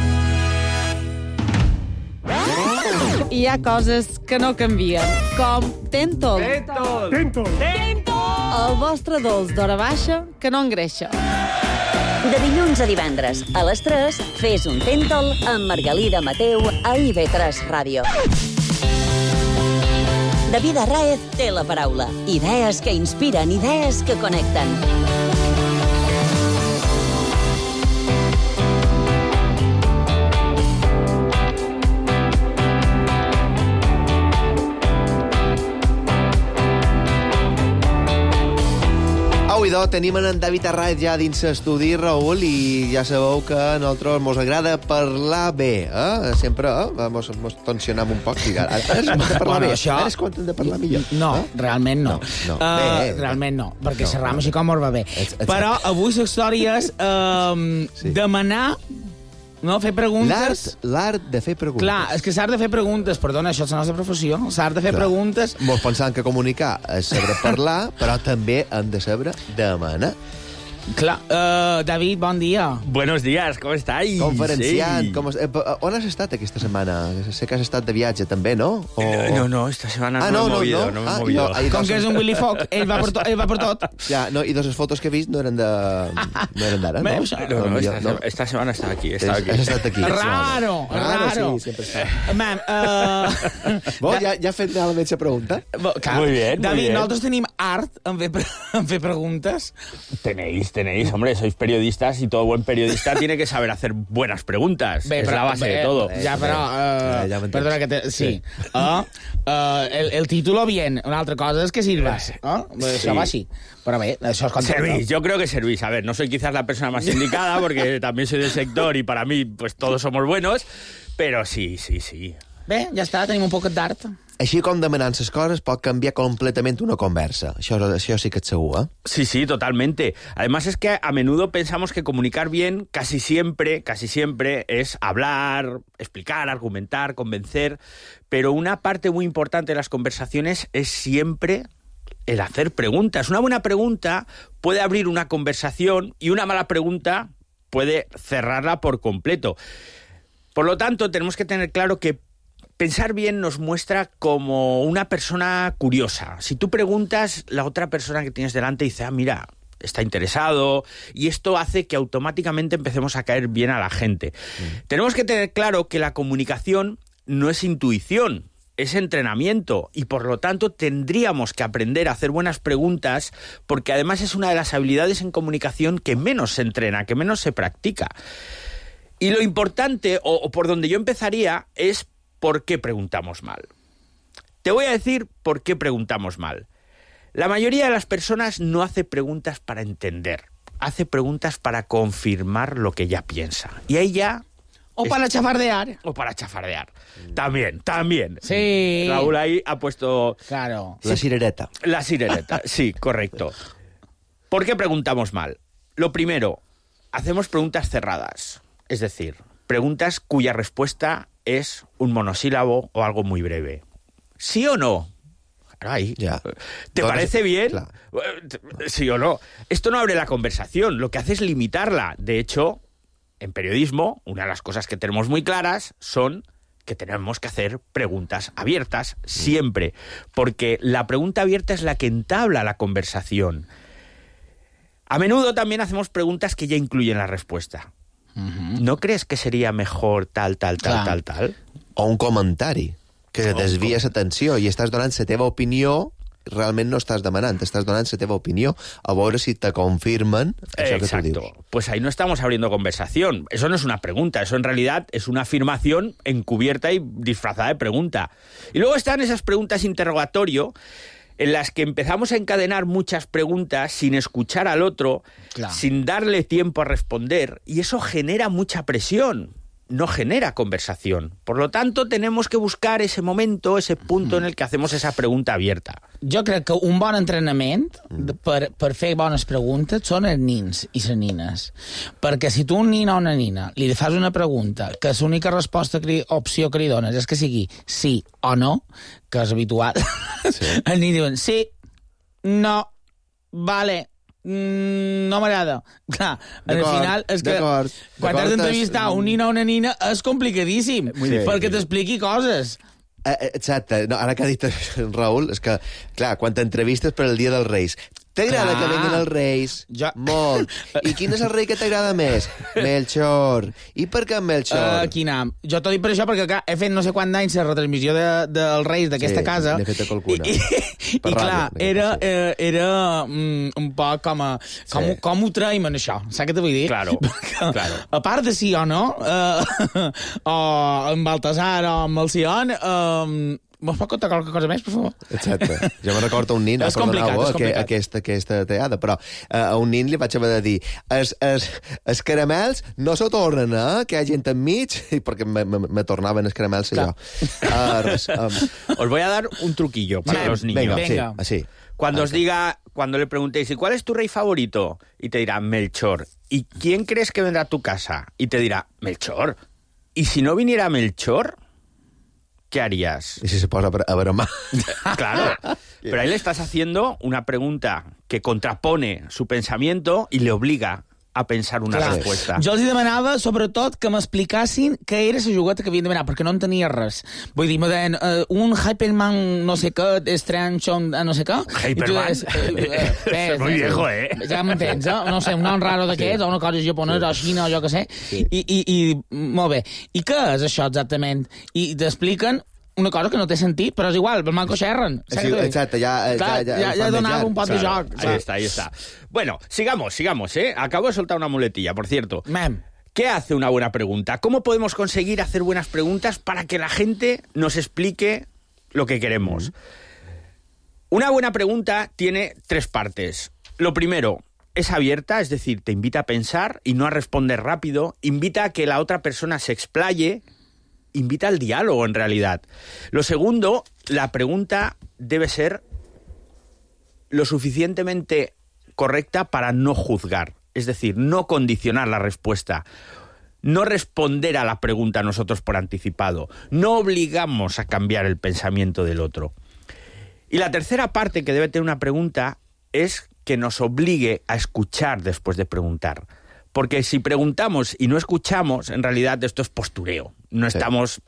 Hi ha coses que no canvien, com Tentol. El vostre dolç d'hora baixa que no engreixa. De dilluns a divendres, a les 3, fes un Tentol amb Margalida Mateu a IB3 Ràdio. David Arraez té la paraula. Idees que inspiren, idees que connecten. Idò, tenim en David Arraez ja dins l'estudi, Raül, i ja sabeu que a nosaltres mos agrada parlar bé, Sempre mos tensionem un poc. Ara és quan de parlar bé, ara és quan hem de parlar millor. No, realment no. Bé, realment no, perquè xerram així com mos va bé. Però avui la història és demanar... No, fer preguntes... L'art de fer preguntes. Clar, és que s'ha de fer preguntes, perdona, això és la nostra professió, s'ha de fer preguntes... Mos pensant que comunicar és saber parlar, però també hem de saber demanar. Clar, David, bon dia. Buenos días, ¿cómo estáis? Conferenciant, Sí. on has estat aquesta setmana? Sé que has estat de viatge, també, no? No, esta semana no me he movido. Com que és un Willy Fogg, ell va per tot. Ja, no, i les fotos que he vist no eren d'ara, no? No, esta semana estaba aquí. Has estat aquí. Raro. Sí, sempre està. Bon, ja ha fet realment la pregunta? Muy bien, David, nosaltres tenim art en fer preguntes. Tenéis, hombre, sois periodistas y todo buen periodista tiene que saber hacer buenas preguntas. Es la base de todo. Ja, però... Perdona que sí. El título bien, una altra cosa és que sirves. Això va així. Però bé, això és servís, yo creo que servís. A ver, no soy quizás la persona más indicada porque también soy del sector y para mí pues todos somos buenos, pero sí. Bé, ja està, tenim un poc d'art. Així com demanant les coses pot canviar completamente una conversa. Això sí que és segur, Sí, totalmente. Además es que a menudo pensamos que comunicar bien casi siempre es hablar, explicar, argumentar, convencer, pero una parte muy importante de las conversaciones es siempre el hacer preguntas. Una buena pregunta puede abrir una conversación y una mala pregunta puede cerrarla por completo. Por lo tanto, tenemos que tener claro que pensar bien nos muestra como una persona curiosa. Si tú preguntas, la otra persona que tienes delante dice, mira, está interesado, y esto hace que automáticamente empecemos a caer bien a la gente. Tenemos que tener claro que la comunicación no es intuición, es entrenamiento, y por lo tanto tendríamos que aprender a hacer buenas preguntas, porque además es una de las habilidades en comunicación que menos se entrena, que menos se practica. Y lo importante, o por donde yo empezaría, es por qué preguntamos mal. Te voy a decir por qué preguntamos mal. La mayoría de las personas no hace preguntas para entender, hace preguntas para confirmar lo que ya piensa. Y ahí ya... O para chafardear. O para chafardear. También. Sí. Raúl ahí ha puesto... Claro. La cirereta. La cirereta, sí, correcto. ¿Por qué preguntamos mal? Lo primero, hacemos preguntas cerradas. Es decir, preguntas cuya respuesta es un monosílabo o algo muy breve. ¿Sí o no? Ahí. Ya. ¿Te parece bien? Claro. ¿Sí o no? Esto no abre la conversación, lo que hace es limitarla. De hecho, en periodismo, una de las cosas que tenemos muy claras son que tenemos que hacer preguntas abiertas siempre, porque la pregunta abierta es la que entabla la conversación. A menudo también hacemos preguntas que ya incluyen la respuesta. ¿No crees que seria mejor tal? O un comentari que desvia l'atenció i estàs donant la teva opinió, realment no estàs demanant, estàs donant la teva opinió, a veure si te confirmen això que tu dius. Pues ahí no estamos abriendo conversación. Eso no es una pregunta, eso en realidad es una afirmación encubierta y disfrazada de pregunta. Y luego están esas preguntas interrogatorio en las que empezamos a encadenar muchas preguntas sin escuchar al otro, sin darle tiempo a responder, y eso genera mucha presión, no genera conversación. Por lo tanto, tenemos que buscar ese momento, ese punto en el que hacemos esa pregunta abierta. Jo crec que un bon entrenament per fer bones preguntes són els nins i les nines. Perquè si tu a un nin o una nina li fas una pregunta que l'única opció que li dones és que sigui sí o no, que és habitual, els nins diuen sí, no, vale, no m'agrada. Clar, al final és que quan has d'entrevistar un nin o una nina és complicadíssim, perquè t'expliqui coses. Exacte. No, ara que ha dit Raül, és que, clar, quan t'entrevistes per el Dia dels Reis, t'agrada que venguin els Reis? Molt. I quin és el rei que t'agrada més? Melchor. I per què Melchor? Quina? Jo t'ho dic per això perquè he fet no sé quant d'anys la retransmissió dels Reis d'aquesta casa. N'he fet a qualcuna. I clar, era un poc com ho traiem en això, saps què te vull dir? Claro. A part de sí o no, o amb Baltasar o amb el Sion, Mos pot contar qualque cosa més, per favor? Exacte. Jo me recordo un nin, és complicat. Aquesta teada, però a un nin li vaig haver de dir els caramels no se tornen, que hi ha gent enmig, perquè me tornaven els caramels jo. Os voy a dar un truquillo para los niños. Venga. Sí. Cuando le preguntéis, ¿y cuál es tu rey favorito? Y te dirá, Melchor. ¿Y quién crees que vendrá a tu casa? Y te dirá, Melchor. ¿Y si no viniera Melchor? ¿Qué harías? ¿Y si se posa a bromar? Claro, pero ahí le estás haciendo una pregunta que contrapone su pensamiento y le obliga a pensar una respuesta. Jo els demanava, sobretot, que m'explicassin què era la jugueta que havien de demanar, perquè no entenia res. Vull dir, me deien, un Hyperman no sé què, Strange, no sé què. Hyperman? És muy viejo, Ja m'entens, no sé, un nom raro d'aquests, o una cosa japonesa, o xina, o jo què sé. I molt bé. I què és això exactament? I t'expliquen una cosa que no té sentit, però és igual, el manco xerren. Exacte, ja donava un pot de joc. Ahí está. Bueno, sigamos, Acabo de soltar una muletilla, por cierto. ¿Qué hace una buena pregunta? ¿Cómo podemos conseguir hacer buenas preguntas para que la gente nos explique lo que queremos? Una buena pregunta tiene 3 partes. Lo primero, es abierta, es decir, te invita a pensar y no a responder rápido, invita a que la otra persona se explaye, invita al diálogo, en realidad. Lo segundo, la pregunta debe ser lo suficientemente correcta para no juzgar. Es decir, no condicionar la respuesta. No responder a la pregunta nosotros por anticipado. No obligamos a cambiar el pensamiento del otro. Y la tercera parte que debe tener una pregunta es que nos obligue a escuchar después de preguntar. Porque si preguntamos y no escuchamos, en realidad esto es postureo. No estamos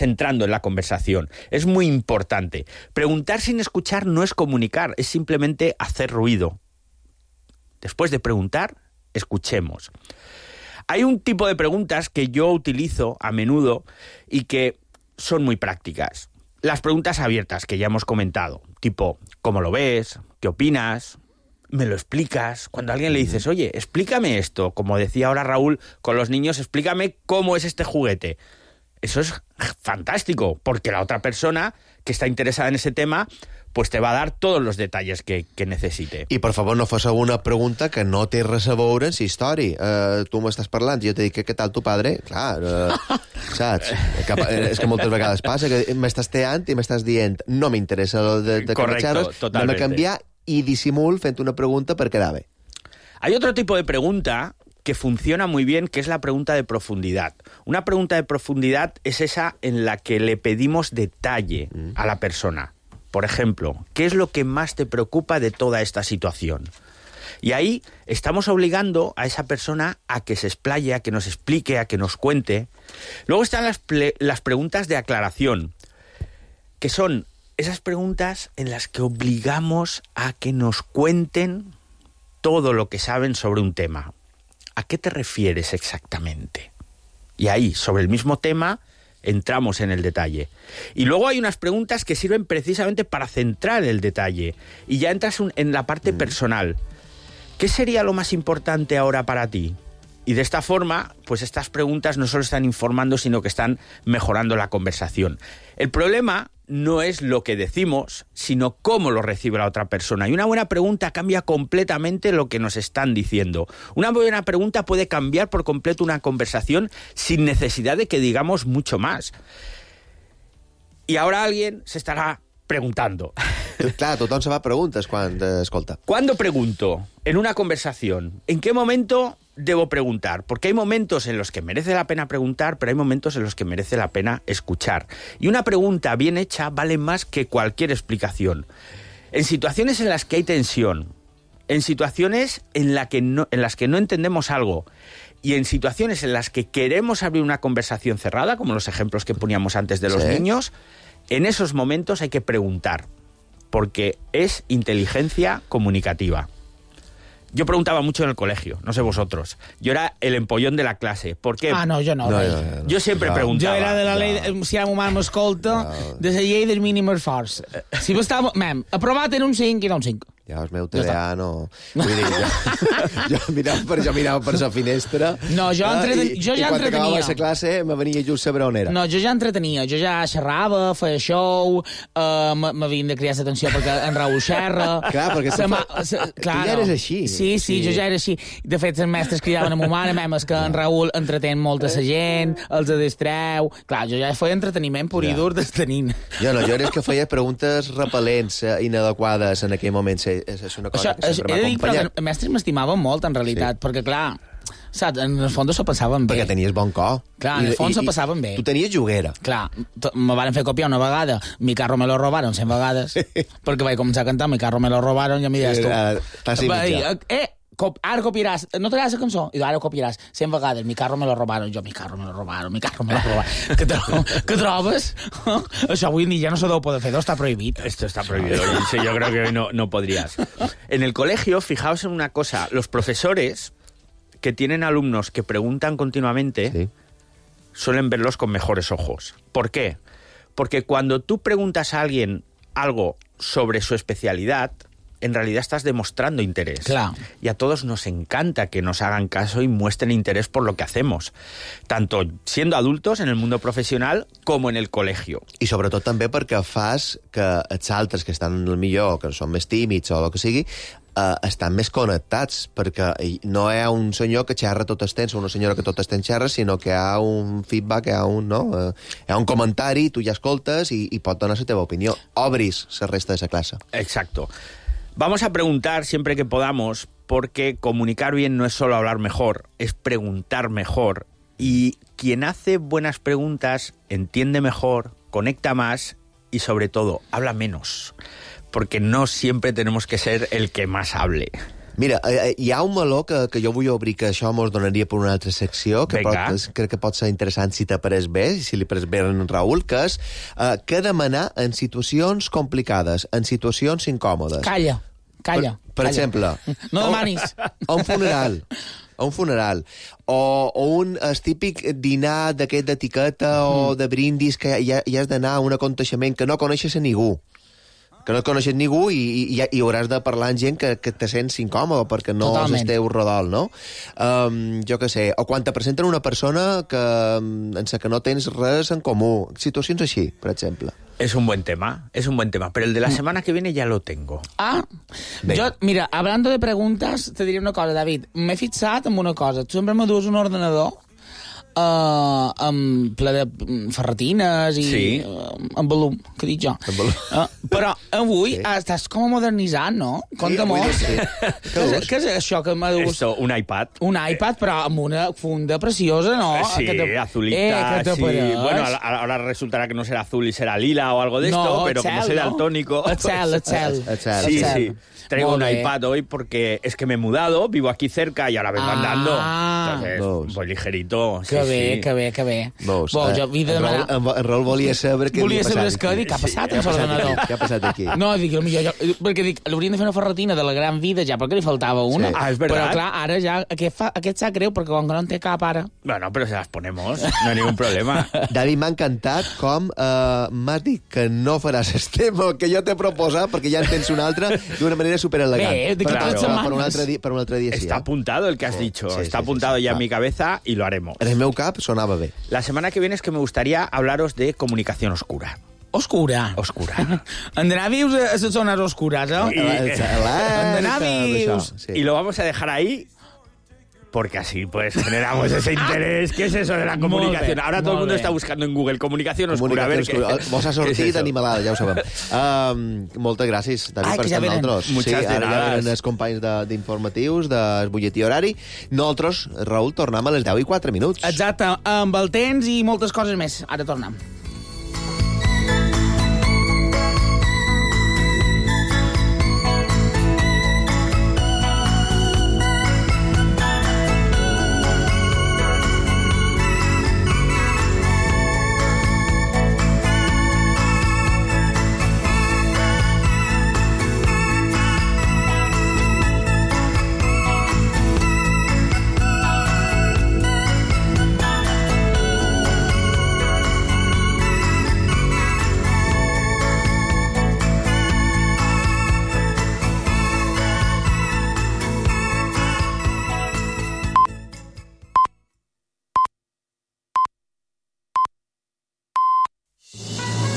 entrando en la conversación. Es muy importante. Preguntar sin escuchar no es comunicar, es simplemente hacer ruido. Después de preguntar, escuchemos. Hay un tipo de preguntas que yo utilizo a menudo y que son muy prácticas. Las preguntas abiertas que ya hemos comentado, tipo, ¿cómo lo ves? ¿Qué opinas? me lo explicas. Cuando a alguien le dices, oye, explícame esto, como decía ahora Raúl con los niños, explícame cómo es este juguete. Eso es fantástico, porque la otra persona que está interesada en ese tema pues te va a dar todos los detalles que necesite. I, per favor, no fas una pregunta que no té res a veure en la història. Tu m'estàs parlant, jo te dic, què tal tu padre? Clar, saps? És que moltes vegades passa que m'estàs teant i m'estàs dient no m'interessa de que me xerres, anem a canviar i dissimul fent una pregunta per quedar bé. Hay otro tipo de pregunta que funciona muy bien, que es la pregunta de profundidad. Una pregunta de profundidad es esa en la que le pedimos detalle a la persona. Por ejemplo, ¿qué es lo que más te preocupa de toda esta situación? Y ahí estamos obligando a esa persona a que se explaye, a que nos explique, a que nos cuente. Luego están las preguntas de aclaración, que son esas preguntas en las que obligamos a que nos cuenten todo lo que saben sobre un tema. ¿A qué te refieres exactamente? Y ahí, sobre el mismo tema, entramos en el detalle. Y luego hay unas preguntas que sirven precisamente para centrar el detalle. Y ya entras en la parte personal. ¿Qué sería lo más importante ahora para ti? Y de esta forma, pues estas preguntas no solo están informando, sino que están mejorando la conversación. El problema no es lo que decimos, sino cómo lo recibe la otra persona. Y una buena pregunta cambia completamente lo que nos están diciendo. Una buena pregunta puede cambiar por completo una conversación sin necesidad de que digamos mucho más. Y ahora alguien se estará preguntando. Clar, tothom se fa preguntes quan escolta. ¿Cuándo pregunto en una conversación? ¿En qué momento debo preguntar? Porque hay momentos en los que merece la pena preguntar, pero hay momentos en los que merece la pena escuchar. Y una pregunta bien hecha vale más que cualquier explicación. En situaciones en las que hay tensión, en situaciones en las que no entendemos algo, y en situaciones en las que queremos abrir una conversación cerrada, como los ejemplos que poníamos antes de los niños, en esos momentos hay que preguntar, porque es inteligencia comunicativa. Yo preguntaba mucho en el colegio, no sé vosotros. Yo era el empollón de la clase. ¿Por qué? Ah, no, jo no. Jo sempre preguntava. Jo era de la llei, si la meva m'escolta, de la llei del mínim esforç. Si estava, aprovat era un 5 i era un 5. Ja, el meu TDA no... Vull dir, jo mirava per la finestra no, jo ja i quan acabava la classe me venia just saber on era. No, jo ja entretenia, jo ja xerrava, feia show, m'havien de cridar l'atenció perquè en Raül xerra... Clar, perquè tu ja eres així. Sí, jo ja era així. De fet, els mestres cridaven a ma mare, és que en Raül entretén molta la gent, els distreu... Clar, jo ja feia entreteniment pur i dur d'estenint. Jo no, jo era que feia preguntes repel·lents, inadequades en aquell moment. És una cosa que sempre m'ha acompanyat. Els mestres m'estimaven molt, en realitat, perquè, clar, saps, en el fons s'ho passaven bé. Perquè tenies bon cor. Clar, en el fons s'ho passaven bé. Tu tenies juguera. Clar, me van fer copiar una vegada, mi carro me lo robaron 100 vegades, perquè vaig començar a cantar, mi carro me lo robaron, i em dius tu... Ara copiaràs, no t'agrada la cançó? I ara copiaràs 100 vegades, mi carro me lo robaron, jo, mi carro me lo robaron. ¿Qué trobes? Això avui ni ja no se deu poder fer, està prohibit. Esto está prohibido, yo creo que hoy no podrías. En el colegio, fijaos en una cosa, los profesores que tienen alumnos que preguntan continuamente suelen verlos con mejores ojos. ¿Por qué? Porque cuando tú preguntas a alguien algo sobre su especialidad, en realidad estás demostrando interés. Claro. Y a todos nos encanta que nos hagan caso y muestren interés por lo que hacemos, tanto siendo adultos en el mundo profesional como en el colegio. I sobretot també perquè fas que els altres que estan millor, que són més tímids o el que sigui, estan més connectats, perquè no hi ha un senyor que xerra tot el temps o una senyora que tot el temps xerra, sinó que hi ha un feedback, hi ha un comentari, tu ja escoltes i pot donar la teva opinió. Obris la resta de la classe. Exacto. Vamos a preguntar siempre que podamos, porque comunicar bien no es solo hablar mejor, es preguntar mejor. Y quien hace buenas preguntas entiende mejor, conecta más y, sobre todo, habla menos. Porque no siempre tenemos que ser el que más hable. Mira, hi ha un meló que jo vull obrir, que això mos donaria per una altra secció, que crec que pot ser interessant si t'ha pres bé, si li pres bé en Raül, que és què demanar en situacions complicades, en situacions incòmodes. Calla. Per exemple... No demanis. A un funeral. O un típic dinar d'aquest d'etiqueta o de brindis que ja has d'anar a un aconteixement que no coneixes a ningú. que no et coneixes ningú i hauràs de parlar amb gent que te sents incòmode perquè no Totalment. esteu rodol, no? Jo què sé, o quan te presenten una persona en la que no tens res en comú. Situacions així, per exemple. Es un buen tema, pero el de la semana que viene ya lo tengo. Yo, mira, hablando de preguntas, te diré una cosa, David. M'he fixat en una cosa. Tu sempre me dues un ordenador amb ple de ferretines i amb volum, que dic jo. Però avui estàs com modernitzant, no? Compte molt. Què és això que m'ha dut? Esto, un iPad. Un iPad, però amb una funda preciosa, ¿no? Sí, azulita, sí. Bueno, ahora resultará que no será azul y será lila o algo de esto, pero como soy daltónico... El cel. Sí. Traigo un iPad hoy porque es que me he mudado, vivo aquí cerca y ahora vengo andando. Entonces, voy ligerito. Que bé. En Raül volia saber què havia passat. Què ha passat amb l'ordenador? Què ha passat aquí? No, dic, perquè l'haurien de fer una ferretina de la gran vida ja, perquè li faltava una. És veritat. Però clar, ara ja aquest sap greu perquè com que no en té cap ara. Bueno, pero se las ponemos, no hay ningún problema. David, m'ha encantat com m'has dit que no faràs el tema que jo t'he proposat perquè ja en tens un altre d'una manera superelegant. Per un altre dia sí. Está apuntado el que has dicho, está apuntado ya en mi cabeza y lo haremos. En el meu cap sonava bé. La semana que viene es que me gustaría hablaros de comunicación oscura. Oscura. Han d'anar vius a les zones oscures, Han d'anar vius. Y lo vamos a dejar ahí porque así pues generamos ese interés. ¿Qué es eso de la comunicación? Ahora todo el mundo está buscando en Google comunicación oscura. A ver vos ha sortit animalada, ja ho sabem. Moltes gràcies, David, per estar amb nosaltres. Muchas de ara ja venen els companys d'informatius, del butlletí horari. Nosaltres, Raül, tornem a les 10:04. Exacte, amb el temps i moltes coses més. Ara tornem.